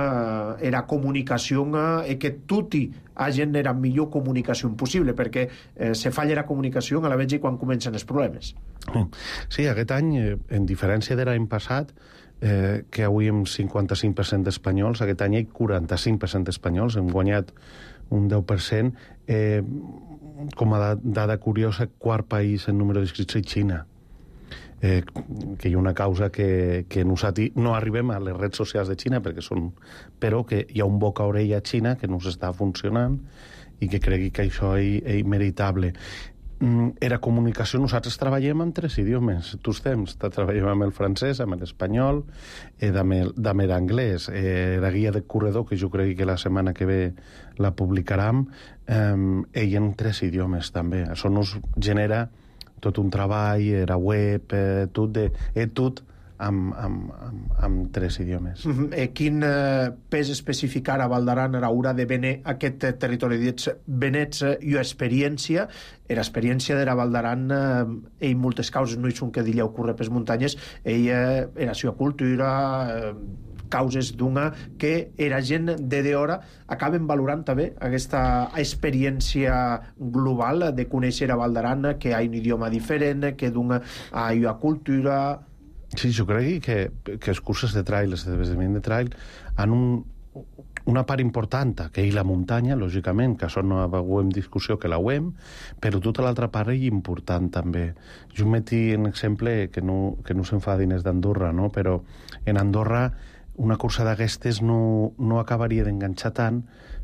eh, era comunicació eh, que tutti hagin era millor comunicació possible, perquè eh, se falla la comunicació a la vegada quan comencen els problemes. Sí, aquest any, eh, en diferència de l'any passat, eh, que avui hem cinquanta-cinc per cent d'espanyols, aquest any hi ha quaranta-cinc per cent d'espanyols, hem guanyat un deu per cent. Eh, com a dada curiosa, quart país en número d'inscrits és Xina, eh, que hi ha una causa que, que nosaltres no arribem a les redes socials de Xina, perquè són, però que hi ha un boca-orella a Xina que no s'està funcionant i que cregui que això és, és meritable. Era comunicació, nosaltres treballem amb tres idiomes, tots temps, treballem amb el francès, amb l'espanyol, eh, amb l'anglès. Eh, la guia de corredor, que jo crec que la setmana que ve la publicarem, eh, ell en tres idiomes també. Això nos genera tot un treball, la web, eh, tot, de, eh, tot amb, amb, amb, amb tres idiomes. Mm-hmm. Eh, quin eh, pes especificar a Val d'Aran haurà de venir aquest eh, territori dits venets eh, i experiència? L'experiència de la Val d'Aran eh, en moltes causes no és un que dilleu curre per muntanyes, ella eh, era seva cultura, eh, causes d'una que era gent de d'hora acaben valorant també aquesta experiència global de conèixer a Val d'Aran, que hi ha un idioma diferent, que d'una hi ha cultura. Sí, jo crec que, que els curses de trail, els esdeveniments de trail, han un, una part important, que és la muntanya, lògicament, que això no ho hem discussió, que la ho hem, però tota l'altra part és important també. Jo meti un exemple que no, que no s'enfadin és d'Andorra, no? Però en Andorra una cursa d'aquestes no, no acabaria d'enganxar tant,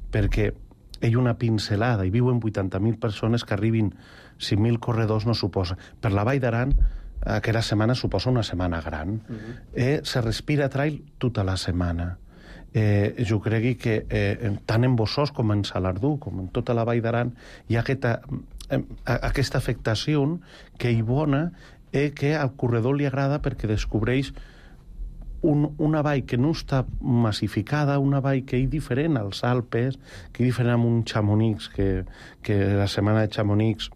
perquè hi ha una pincelada, i viuen vuitanta mil persones, que arribin cinc mil corredors no suposa. Per la Vall d'Aran, aquella setmana suposa una setmana gran. Uh-huh. eh, se respira trail tota la setmana. Eh, jo crec que eh, tant en Bossòs com en Salardú, com en tota la Vall d'Aran, hi ha aquesta, eh, aquesta afectació que hi bona, eh, que al corredor li agrada perquè descobreix un, una vall que no està massificada, una vall que és diferent als Alpes, que és diferent amb un Chamonix, que, que la setmana de Chamonix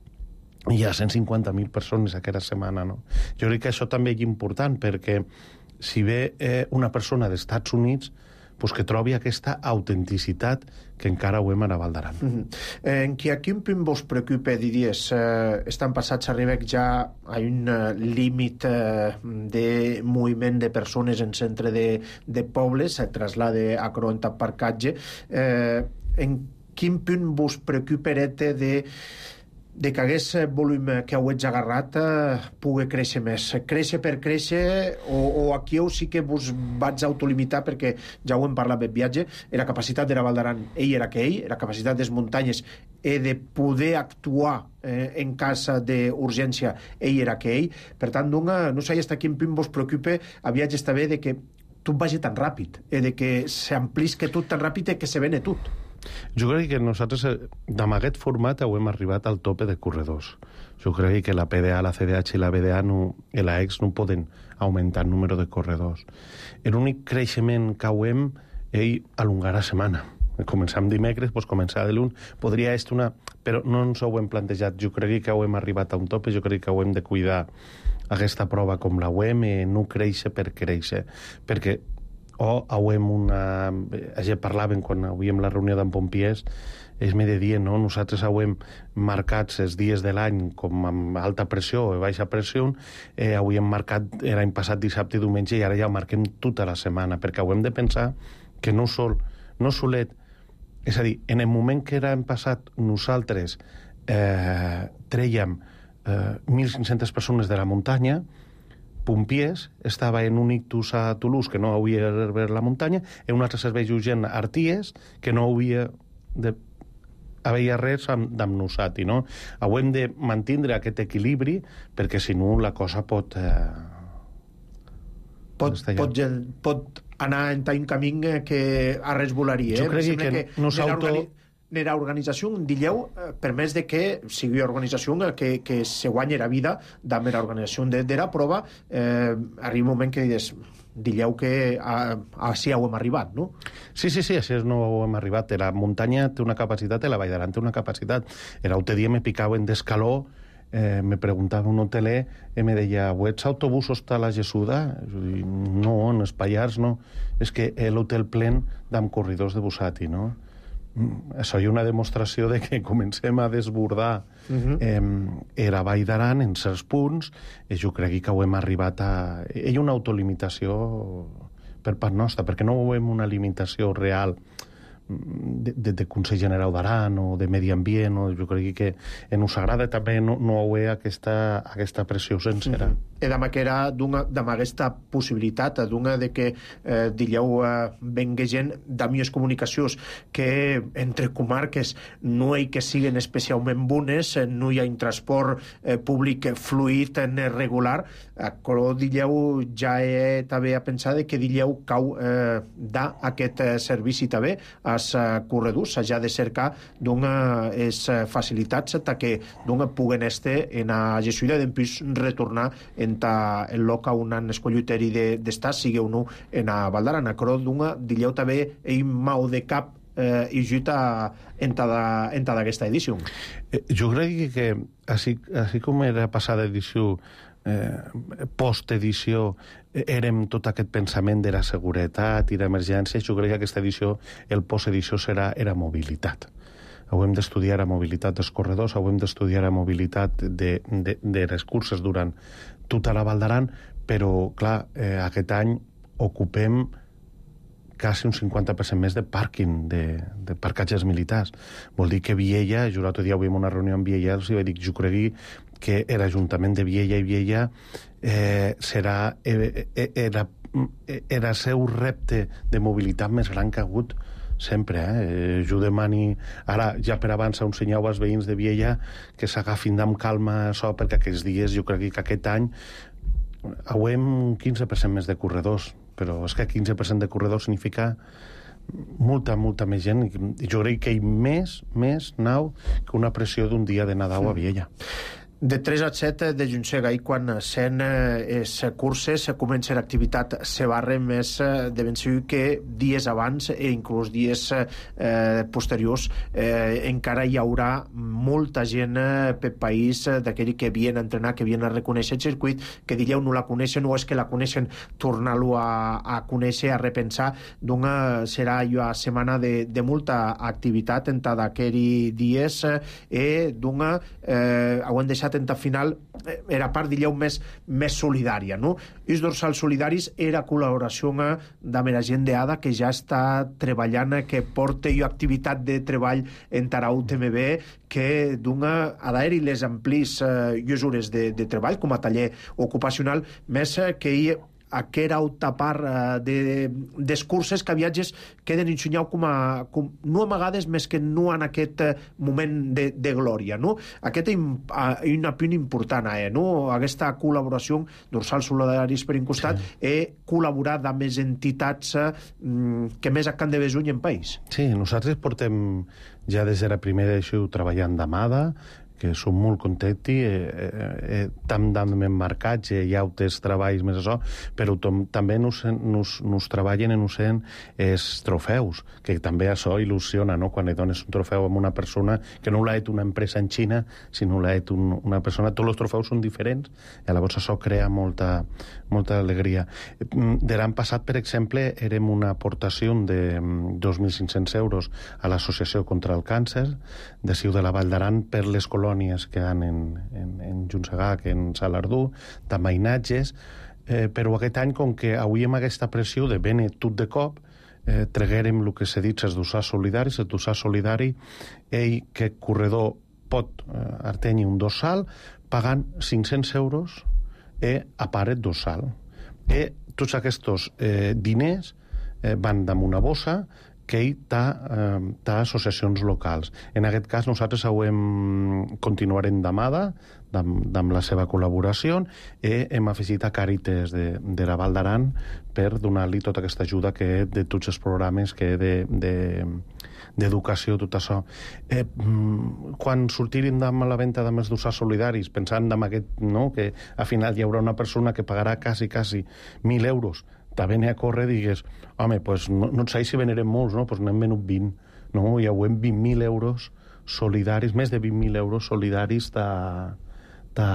hi ha cent cinquanta mil persones aquella setmana, no? Jo crec que això també és important, perquè si ve eh, una persona dels Estats Units, pues que trobi aquesta autenticitat que encara ho hem a la Val d'Aran. Mm-hmm. eh, en qui a quin punt vos preocupa, diries, eh, estan passats, arribem ja a un uh, límit uh, de moviment de persones en centre de, de pobles, se traslada a Croenta Parcatge, eh, en quin punt vos preocuparete de de que aquest volum que heu agarrat eh, pugui créixer més. Créixer per créixer o, o aquí heu sí que vos vaig autolimitar perquè ja ho hem parlat del viatge, la capacitat de la Val d'Aran ell era que ell, la capacitat de les muntanyes i de poder actuar eh, en cas d'urgència ell era que ell. Per tant, no, no sé fins a quin punt vos preocupa a viatge està bé de que tot vagi tan ràpid i de que s'amplisque tot tan ràpid i que se vene tot. Jo crec que nosaltres, amb aquest format, hem arribat al tope de corredors. Jo crec que la P D A, la C D H i la B D A no, i la E X no poden augmentar el número de corredors. L'únic creixement que hem ell alongar la setmana. Començar amb dimecres, doncs començar de l'un. Podria estar una... Però no ens ho hem plantejat. Jo crec que hem arribat a un tope, jo crec que hem de cuidar aquesta prova com la U E M i no créixer per créixer. Perquè o hauem una... Ja parlàvem quan hauríem la reunió d'en Pompiers, ells me deien, no? Nosaltres hauem marcats els dies de l'any com amb alta pressió o baixa pressió, eh, hauríem marcat l'any passat dissabte i diumenge i ara ja ho marquem tota la setmana, perquè hauem de pensar que no sol, no solet, és a dir, en el moment que era passat nosaltres eh, trèiem eh, mil cinc-centes persones de la muntanya, Pompiers estava en un ictus a Toulouse que no hauria de ver la muntanya, en un altre servei urgent a Arties que no hauria de haver res amb, amb nosaltres, no? Hauem de mantindre aquest equilibri perquè si no la cosa pot eh, pot, pot, pot anar en un camí que a res volaria. Eh? Jo crec que, que no s'auto... Nera organització, dilleu, per més de que sigui organització que, que se guanyi la vida amb la organització de, de la prova, eh, arriba un moment que dius, dilleu que a, així ho hem arribat, no? Sí, sí, sí, així no ho hem arribat. La muntanya té una capacitat, la Vall d'Aran té una capacitat. L'altre dia me picava en d'escaló, eh, me preguntava un hoteler i me deia, ¿ets autobusos a la Gessuda? No, en els Pallars no. És que l'hotel plen d'amb corredors de Busati, no? Això hi ha una demostració de que comencem a desbordar uh-huh. eh, la Vall d'Aran en certs punts i jo crec que ho hem arribat a... Hi ha una autolimitació per part nostra, perquè no ho hem una limitació real de, de, de Consell General d'Aran o de Medi Ambient, o jo crec que ens agrada també no, no haver aquesta, aquesta pressió sencera. Uh-huh. I demà que era d'ama aquesta possibilitat d'una de que eh, dilleu eh, venga gent d'amies comunicacions que entre comarques no hi que siguen especialment bones, no hi ha un transport eh, públic fluid eh, regular, però dilleu ja he també a pensar que dilleu cau eh, da aquest eh, servici també als eh, corredors, s'ha de cercar d'unes eh, facilitats que d'una puguen estar en la gestió i després retornar en el lloc on han escollit d'estar, sigui o no en la Val d'Aran. Però d'una, dilleu també ell mau de cap eh, i juta en tota aquesta edició. Eh, jo crec que així, així com era passada edició, eh, post-edició, eh, érem tot aquest pensament de la seguretat i l'emergència, jo crec que aquesta edició, el post-edició serà era mobilitat. Hem d'estudiar la mobilitat dels corredors, hem d'estudiar la mobilitat de, de, de les curses durant tota la Val d'Aran, però, clar, eh, aquest any ocupem quasi un cinquanta per cent més de pàrquing, de, de parcatges militars. Vol dir que Viella, jo l'altre dia avui en una reunió amb Viella, els vaig dir, jo crec que l'Ajuntament de Viella i Viella eh, serà eh, eh, era, era el seu repte de mobilitat més gran que ha hagut sempre, eh? Jo demani ara, ja per abans un senyal als veïns de Viella que s'agafin amb calma això, perquè aquests dies jo crec que aquest any hauem un quinze per cent més de corredors, però és que quinze per cent de corredors significa molta, molta més gent, i jo crec que hi ha més, més nau que una pressió d'un dia de Nadal a Viella. De tres a set de Juntsega, i quan sent les curses comença l'activitat se barre més de ben segur que dies abans i inclús dies eh, posteriors eh, encara hi haurà molta gent per país d'aquell que havien a entrenar, que havien a reconèixer el circuit, que dilleu no la coneixen o és que la coneixen, tornar-lo a, a conèixer, a repensar. D'una serà una setmana de, de molta activitat en d'aquells dies i d'una eh, ho han deixat atenta final era part, digueu, més, més solidària, no? Els dorsals solidaris era col·laboració amb la gent d'Ada que ja està treballant, que porta jo activitat de treball en Tarà U T M B, que dona a d'haver-hi les amplis eh, hores de, de treball com a taller ocupacional, més eh, que hi aquera alta part uh, de, des curses que viatges queden ensenyau com a, com, no amagades, més que no en aquest uh, moment de, de glòria, no? Aquest és uh, una punt important, eh, no? Aquesta col·laboració d'Orsals Solidaris per un costat sí. he col·laborat amb les entitats uh, que més han de besuny en país. Sí, nosaltres portem ja des de la primera d'això treballant d'amada, que som molt contenti, eh, eh, tam d'hem emmarcats, eh, hi ha altres treballs més això, però tom, també nos, nos, nos treballen en usant els trofeus, que també això il·lusiona, no? Quan li dones un trofeu a una persona que no l'ha fet una empresa en Xina, sinó l'ha fet un, una persona, tots els trofeus són diferents, i llavors això crea molta, molta alegria. De l'any passat, per exemple, érem una aportació de dos mil cinc-cents euros a l'Associació contra el Càncer de Ciu de la Vall d'Aran per les colònies que hi ha en, en, en Junsegac, en Salardú, de mainatges, eh, però aquest any, com que avui amb aquesta pressió de vene tot de cop, eh, treguérem el que s'ha dit els dossars solidaris, el dossar solidari, ell, que corredor pot eh, artenir un dossal, pagant cinc-cents euros eh, a paret dossal. I tots aquests eh, diners eh, van damunt una bossa que ell té eh, associacions locals. En aquest cas, nosaltres hem continuarem d'amada, amb la seva col·laboració, i hem afegit a Càritas de, de la Val d'Aran per donar-li tota aquesta ajuda que de tots els programes que de, de, d'educació, tot això. Eh, quan sortirin amb la venda dels dossars solidaris, pensant en aquest, no, que al final hi haurà una persona que pagarà quasi, quasi mil euros, també n'hi a córrer i digues, home, pues no, no sé si venerem molts, no? Pues n'hem venut vint, no? I ho hem vint mil euros solidaris, més de vint mil euros solidaris de, de,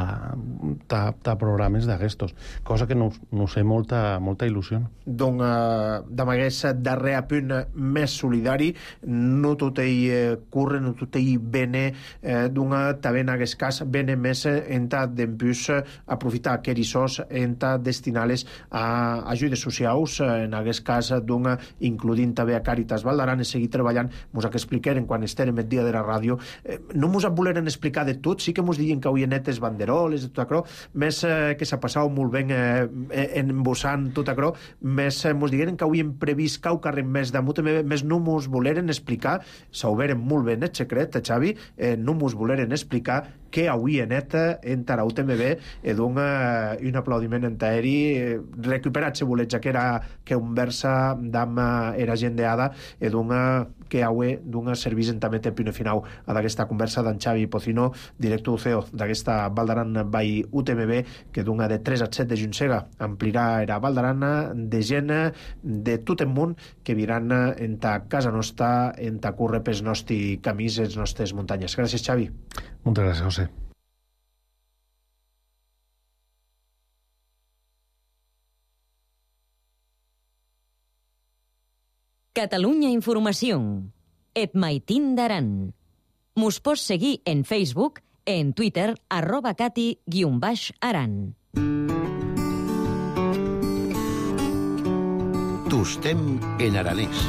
de, de programes d'aquestos, cosa que nos, nos fa molta, molta il·lusió. Donc, eh, amb aquest darrer punt més solidari, no tot ell eh, curre, no tot ell bene, eh, d'una, també en aquest cas, bene més en ta d'empús aprofitar aquests sos, en ta destinar-les a ajudes socials, en aquest cas, d'una, includint també a Càritas Val d'Aran, i seguir treballant, mos que expliqueren quan estem el dia de la ràdio, eh, no mos voleren explicar de tot, sí que mos diuen que avui netes banderoles, tot això, més eh, que s'ha passat molt ben eh, embossant tot això, més eh, mos digueren que avui hem previst cau carrer més damunt, més no mos voleren explicar, s'oberen molt ben el secret, Xavi, eh, no mos voleren explicar que avui en eta en Tarà U T M B e dona un aplaudiment en taeri eh, recuperat, se volets, que era que un versa d'am era gent d'Ada e dona que avui dona servís en també tempi final a d'aquesta conversa d'en Xavi Pocino, director U C E O d'aquesta Val d'Aran by U T M B, que dona de tres a set de Junsega amplirà era Val d'Aran de gent de tot el món que viran en ta casa nostra, en ta curre pels nostres camins, les nostres muntanyes. Gràcies, Xavi. Moltes gràcies, José. Catalunya Informació. Et maitin d'Aran. Mos pots seguir en Facebook, en Twitter, arroba cati guion baix aran. Tostem en aranès.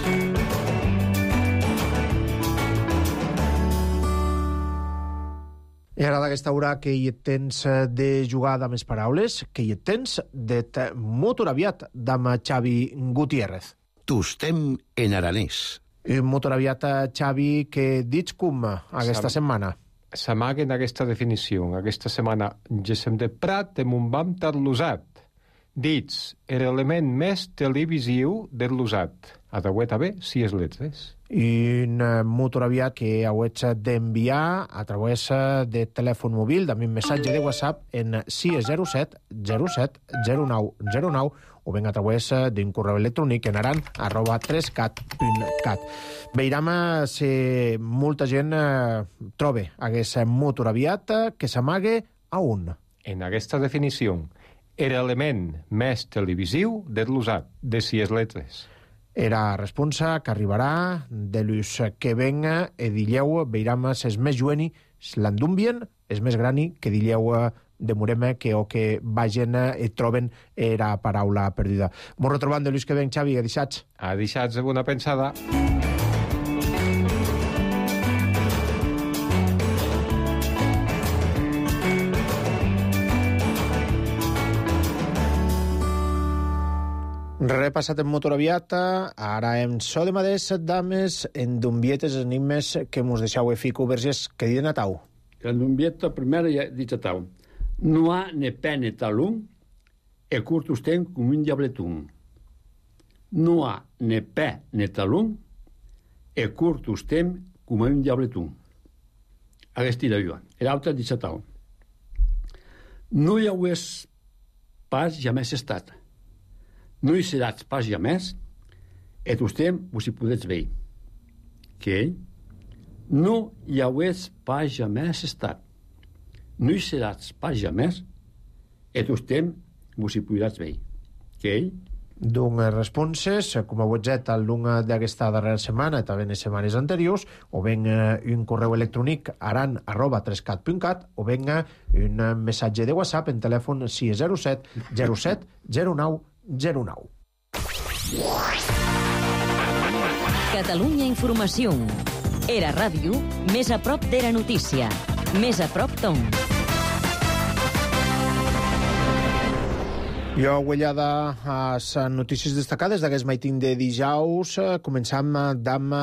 I ara d'aquesta hora que hi tens de jugar amb les paraules, que hi tens de molt aviat amb Xavi Gutiérrez. Tostem en aranès. Molt aviat, Xavi, que dits com aquesta Sam, setmana? S'amaguen aquesta definició. Aquesta setmana gesem de Prat amb un bam tarlosat. Dits, l'element més televisiu del losat. A de també, si és letres. I un motor aviat que hauets d'enviar a través de telèfon mòbil, amb un missatge de WhatsApp en sis zero set zero set zero nou zero nou o ben a través d'un correu electrònic en aran arroba tres cat punt cat. Veiram si molta gent troba aquest motor aviat que s'amague a un. En aquesta definició, l'element més televisiu del losat, de sis letres. Era responsa que arribarà de l'ús que venga e dilleu veiram ses més jueni l'endumbien és més grani que dilleu demorem que o que vagin et troben era paraula perduda. M'ho retrobant de Lluís que ben, Xavi, a dissats. A dissats, una pensada. Repassat en motor aviat, ara en so de maders, dames, en dumbietes enigmes que mos deixau e fico verges que di de Natau. En dumbieta primera ja dice tau. No ha ne pe ne talun e curtus ten cum un diabletun. No ha ne pe ne talun e curtus ten cum un diabletun. Aquesta era jo. E l'altra dice tau. No hi haués pas jamès estat. No hi seràs pas jamès, et ustem vos hi podets veir. Que no hi haués pas jamès estat. No hi seràs pas jamès, et ustem vos hi podràs veir. Que D'un responses, com a webjet al lunga d'aquesta darrera setmana, també en les setmanes anteriors, o ben un correu electrònic aran arroba trescat punt cat, o ben un missatge de WhatsApp en telèfon sis zero set zero set zero nou zero nou. Catalunya Informació. Era ràdio, més a prop d'Era Notícia. Més a prop d'on. Jo, huellada a les notícies destacades d'aquest maitín de dijous. Començam amb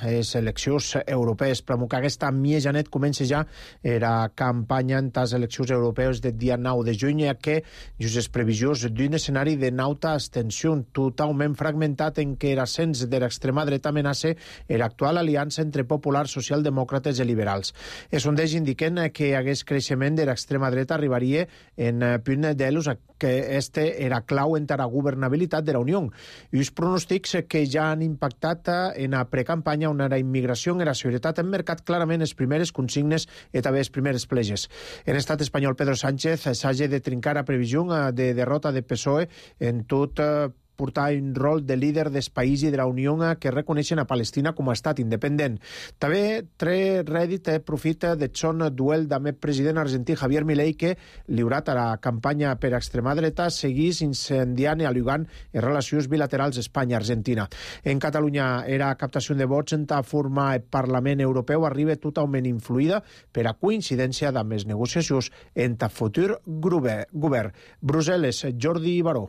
les eleccions europees. Però que aquesta miejanet comença ja la campanya en les eleccions europees del dia nou de juny, que just les previsions d'un escenari de nauta abstenció totalment fragmentat en què l'ascens de l'extrema dreta amenaça l'actual aliança entre populars, socialdemòcrates i liberals. Els sondeig indiquen que aquest creixement de l'extrema dreta arribaria en punt d'elus que este era clau en la governabilitat de la Unió. I els pronòstics que ja han impactat en la precampanya on la immigració i la seguretat han marcat clarament les primeres consignes i també les primeres pleges. En l'estat espanyol, Pedro Sánchez s'hagi de trincar a previsió de derrota de P S O E en tot portar un rol de líder del país i de la Unió que reconeixen a Palestina com a estat independent. També tre rèdit profit de son duel amb el president argentí Javier Milei, que, lliurat a la campanya per extrema dreta, seguís incendiant i alugant les relacions bilaterals Espanya-Argentina. En Catalunya, era captació de vots en ta forma el Parlament Europeu arriba totalment influïda per a coincidència amb les negociacions en ta futur govern. Brussel·les, Jordi Baró.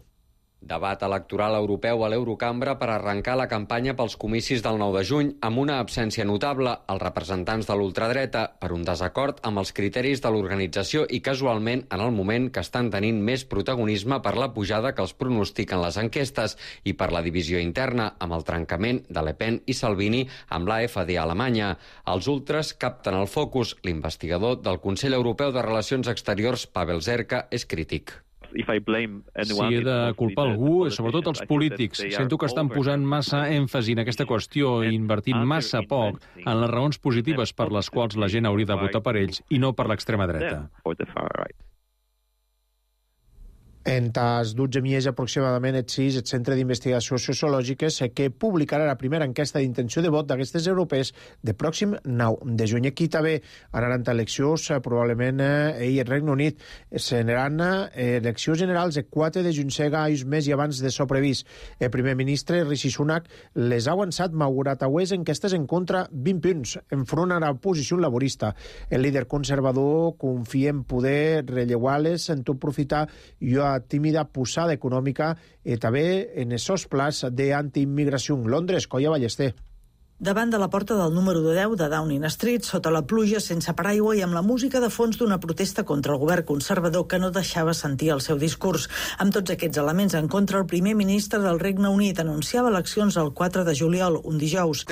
Debat electoral europeu a l'Eurocambra per arrencar la campanya pels comicis del nou de juny amb una absència notable als representants de l'ultradreta per un desacord amb els criteris de l'organització i casualment en el moment que estan tenint més protagonisme per la pujada que els pronostiquen les enquestes i per la divisió interna amb el trencament de Le Pen i Salvini amb l'A F D a Alemanya. Els ultres capten el focus. L'investigador del Consell Europeu de Relacions Exteriors, Pavel Zerka, és crític. Si he de culpar algú, sobretot els polítics. Sento que estan posant massa èmfasi en aquesta qüestió i invertint massa poc en les raons positives per les quals la gent hauria de votar per ells i no per l'extrema dreta. En tas dotze dies aproximadament et sis, el Centre d'Investigacions Sociològiques que publicarà la primera enquesta d'intenció de vot d'aquestes europees de pròxim nou de juny. Aquí també anaran eleccions, probablement i el Regne Unit. Seran eleccions generals el quatre de juny, sega un mes i abans de so previst. El primer ministre, Rishi Sunak, les ha avançat malgrat aues enquestes en contra vint punts, enfront a la posició laborista. El líder conservador confia en poder relleuar-les en tot profitar i a tímida posada econòmica i també en esos plans d'antiimmigració. Londres, Colla Ballester. Davant de la porta del número deu de Downing Street, sota la pluja, sense paraigua i amb la música de fons d'una protesta contra el govern conservador que no deixava sentir el seu discurs. Amb tots aquests elements en contra, el primer ministre del Regne Unit anunciava eleccions el quatre de juliol, un dijous.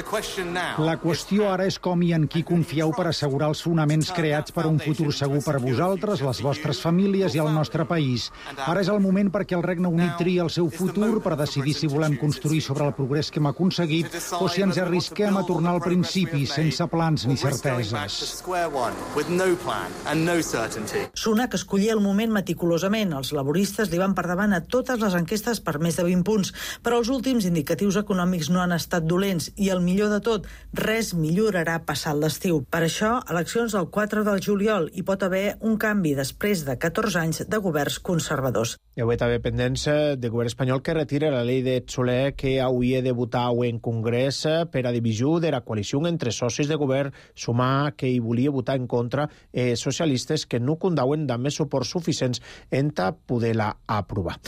La qüestió ara és com i en qui confieu per assegurar els fonaments creats per un futur segur per vosaltres, les vostres famílies i el nostre país. Ara és el moment perquè el Regne Unit triï el seu futur per decidir si volem construir sobre el progrés que hem aconseguit o si ens arrisquem dediquem a tornar al principi, sense plans ni certeses. Sunak escollia el moment meticulosament. Els laboristes li van per davant a totes les enquestes per més de vint punts, però els últims indicatius econòmics no han estat dolents i el millor de tot, res millorarà passat l'estiu. Per això, eleccions el quatre del juliol i pot haver un canvi després de catorze anys de governs conservadors. Hi ha també pendents de govern espanyol que retira la llei de Soler que hauria de votar en Congrés per a divisió de la coalició entre socis de govern, sumar que hi volia votar en contra eh, socialistes que no condauen de més suports suficients en ta poder-la aprovar.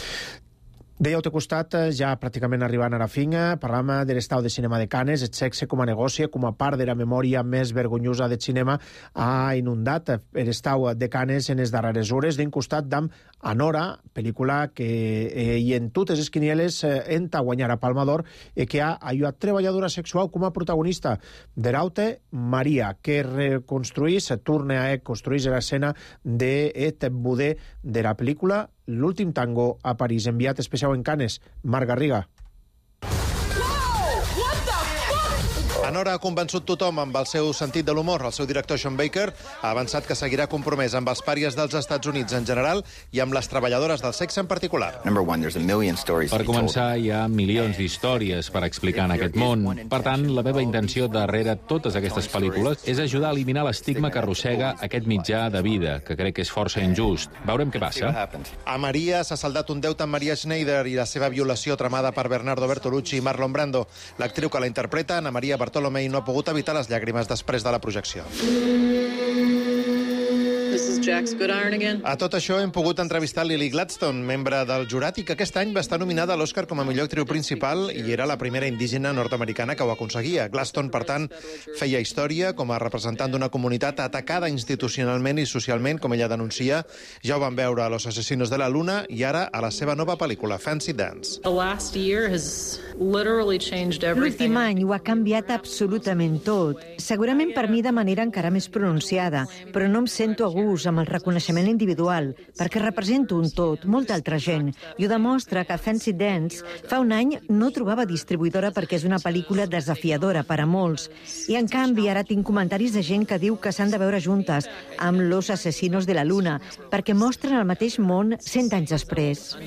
Dèieu de costat, ja pràcticament arribant a la fin, parlàvem de l'estau de cinema de Canes, el sexe com a negoci, com a part de la memòria més vergonyosa del cinema, ha inundat l'estau de Canes en les darreres hores, d'un costat d'am Anora, pel·lícula que eh, i en totes les quinieles eh, enta guanyar a Palma d'Or i que ha ayudat treballadora sexual com a protagonista. Deraute Maria, que reconstruís, torna a construir l'escena d'et budé de la pel·lícula L'últim tango a París, enviat especial en Canes, Marc Garriga. Anora ha convençut tothom amb el seu sentit de l'humor. El seu director, Sean Baker, ha avançat que seguirà compromès amb els pàries dels Estats Units en general i amb les treballadores del sexe en particular. Per començar, hi ha milions d'històries per explicar en aquest món. Per tant, la meva intenció darrere totes aquestes pel·lícules és ajudar a eliminar l'estigma que arrossega aquest mitjà de vida, que crec que és força injust. Veurem què passa. A Maria s'ha saldat un deute amb Maria Schneider i la seva violació tramada per Bernardo Bertolucci i Marlon Brando. L'actriu que la interpreta, Ana Maria Bartolomei, no ha pogut evitar les llàgrimes després de la projecció. A tot això hem pogut entrevistar Lily Gladstone, membre del jurat i que aquest any va estar nominada a l'Oscar com a millor actriu principal i era la primera indígena nord-americana que ho aconseguia. Gladstone, per tant, feia història com a representant d'una comunitat atacada institucionalment i socialment, com ella denuncia. Ja ho van veure a Los Asesinos de la Luna i ara a la seva nova pel·lícula, Fancy Dance. L'últim any ho ha canviat absolutament tot. Segurament per mi de manera encara més pronunciada, però no em sento a gust amb el reconeixement individual, perquè represento un tot, molta altra gent, i ho demostra que Fancy Dance fa un any no trobava distribuïdora perquè és una pel·lícula desafiadora per a molts, i en canvi ara tinc comentaris de gent que diu que s'han de veure juntes amb Los Asesinos de la Luna, perquè mostren el mateix món cent anys després.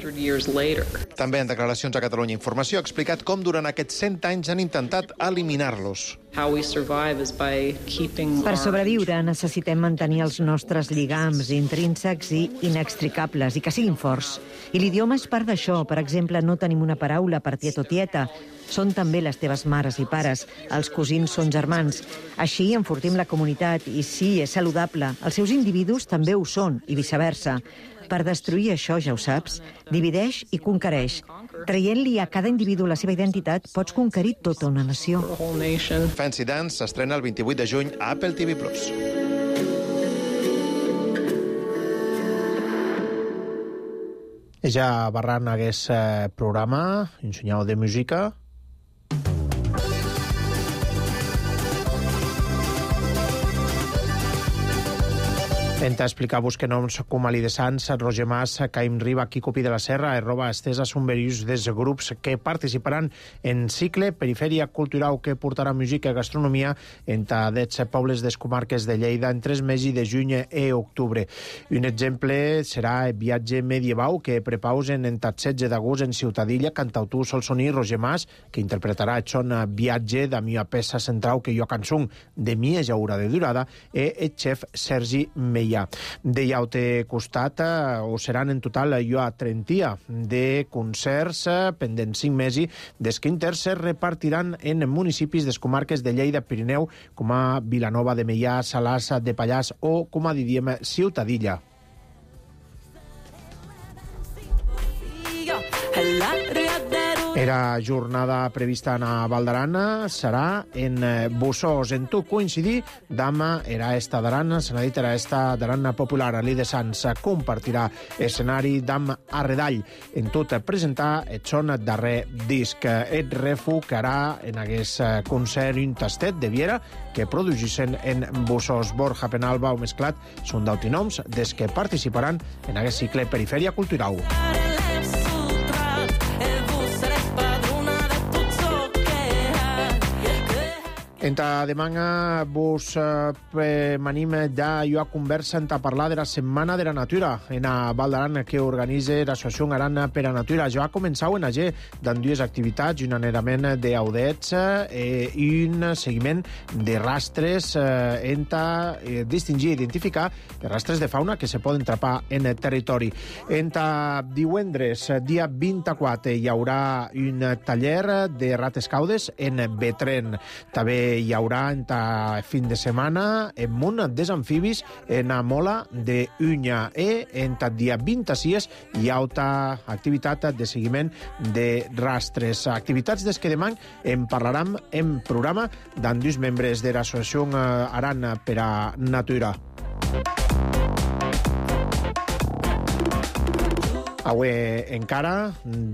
També en declaracions a Catalunya Informació ha explicat com durant aquests cent anys han intentat eliminar-los. Per sobreviure necessitem mantenir els nostres lligams intrínsecs i inextricables i que siguin forts. I l'idioma és part d'això. Per exemple, no tenim una paraula per tiet o tieta. Són també les teves mares i pares. Els cosins són germans. Així enfortim la comunitat i sí, és saludable. Els seus individus també ho són i viceversa. Per destruir això, ja ho saps, divideix i conquereix. Traient-li a cada individu la seva identitat, pots conquerir tota una nació. Fancy Dance s'estrena el vint-i-vuit de juny a Apple T V Plus. Ja barran aquest programa, ensenyau de música. Enta explicar-vos que noms com Ali de Sants, Roger Mas, Caim Riba, Quico Pi de la Serra, Erroba Estesa són varios dels grups que participaran en cicle Perifèria Cultural que portarà música i gastronomia enta dets pobles des comarques de Lleida entre els mesos de juny i octubre. Un exemple serà el viatge medieval que prepausen enta setze d'agost en Ciutadilla, cantautor Solsoní Roger Mas, que interpretarà el son viatge de mia peça central que jo cançó de mitja hora de durada, i el xef Sergi Meia. De llaute costat, o seran en total jo a trentia de concerts pendents cinc mesos, des que inter se repartiran en municipis des comarques de Lleida, Pirineu, com a Vilanova de Meià, Salàs de Pallars o, com a diríem, Ciutadilla. Era jornada prevista a Val d'Aran, serà en Bussós. En tot coincidir, Dama era esta d'Aran, se n'ha dit era esta d'Aran popular. Ali de Sants compartirà escenari d'Am Arredall. En tot presentar el son darrer disc. Et refucarà en aquest concert un tastet de Viera que produgissen en Bussós. Borja Penalba o Mesclat són d'autinoms des que participaran en aquest cicle Perifèria Cultural. Enta demana vos eh, m'anim ja jo a conversa a parlar de la Setmana de la Natura en a Val d'Aran que organitza l'Associació Aran per a Natura. Jo ha començat en allà amb dues activitats, un anerament d'audets eh, i un seguiment de rastres eh, enta eh, distingir i identificar els rastres de fauna que se poden trapar en el territori. Enta divendres, dia vint-i-quatre, hi haurà un taller de rates caudes en Betren. També hi haurà en fin de setmana en munt dels amfibis en a Mola de Unya e en dia vint-i-sis hi ha altra activitat de seguiment de rastres. Activitats des que demà en parlarem en programa d'en dos membres de l'Associació Aran per a Natura. Avui encara,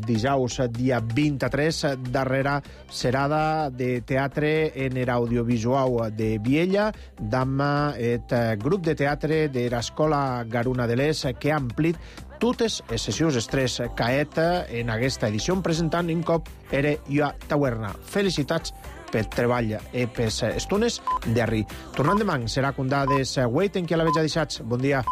dijous, dia vint-i-tres, darrera serada de teatre en l'audiovisual de Viella, d'amb el grup de teatre de l'Escola Garuna de l'Est, que ha amplit totes les sessions estrès caet en aquesta edició, presentant un cop era jo a Taverna. Felicitats pel treball i per les estones d'arri. Tornant demà, serà condades Wait, en qui la veig deixats. Bon dia.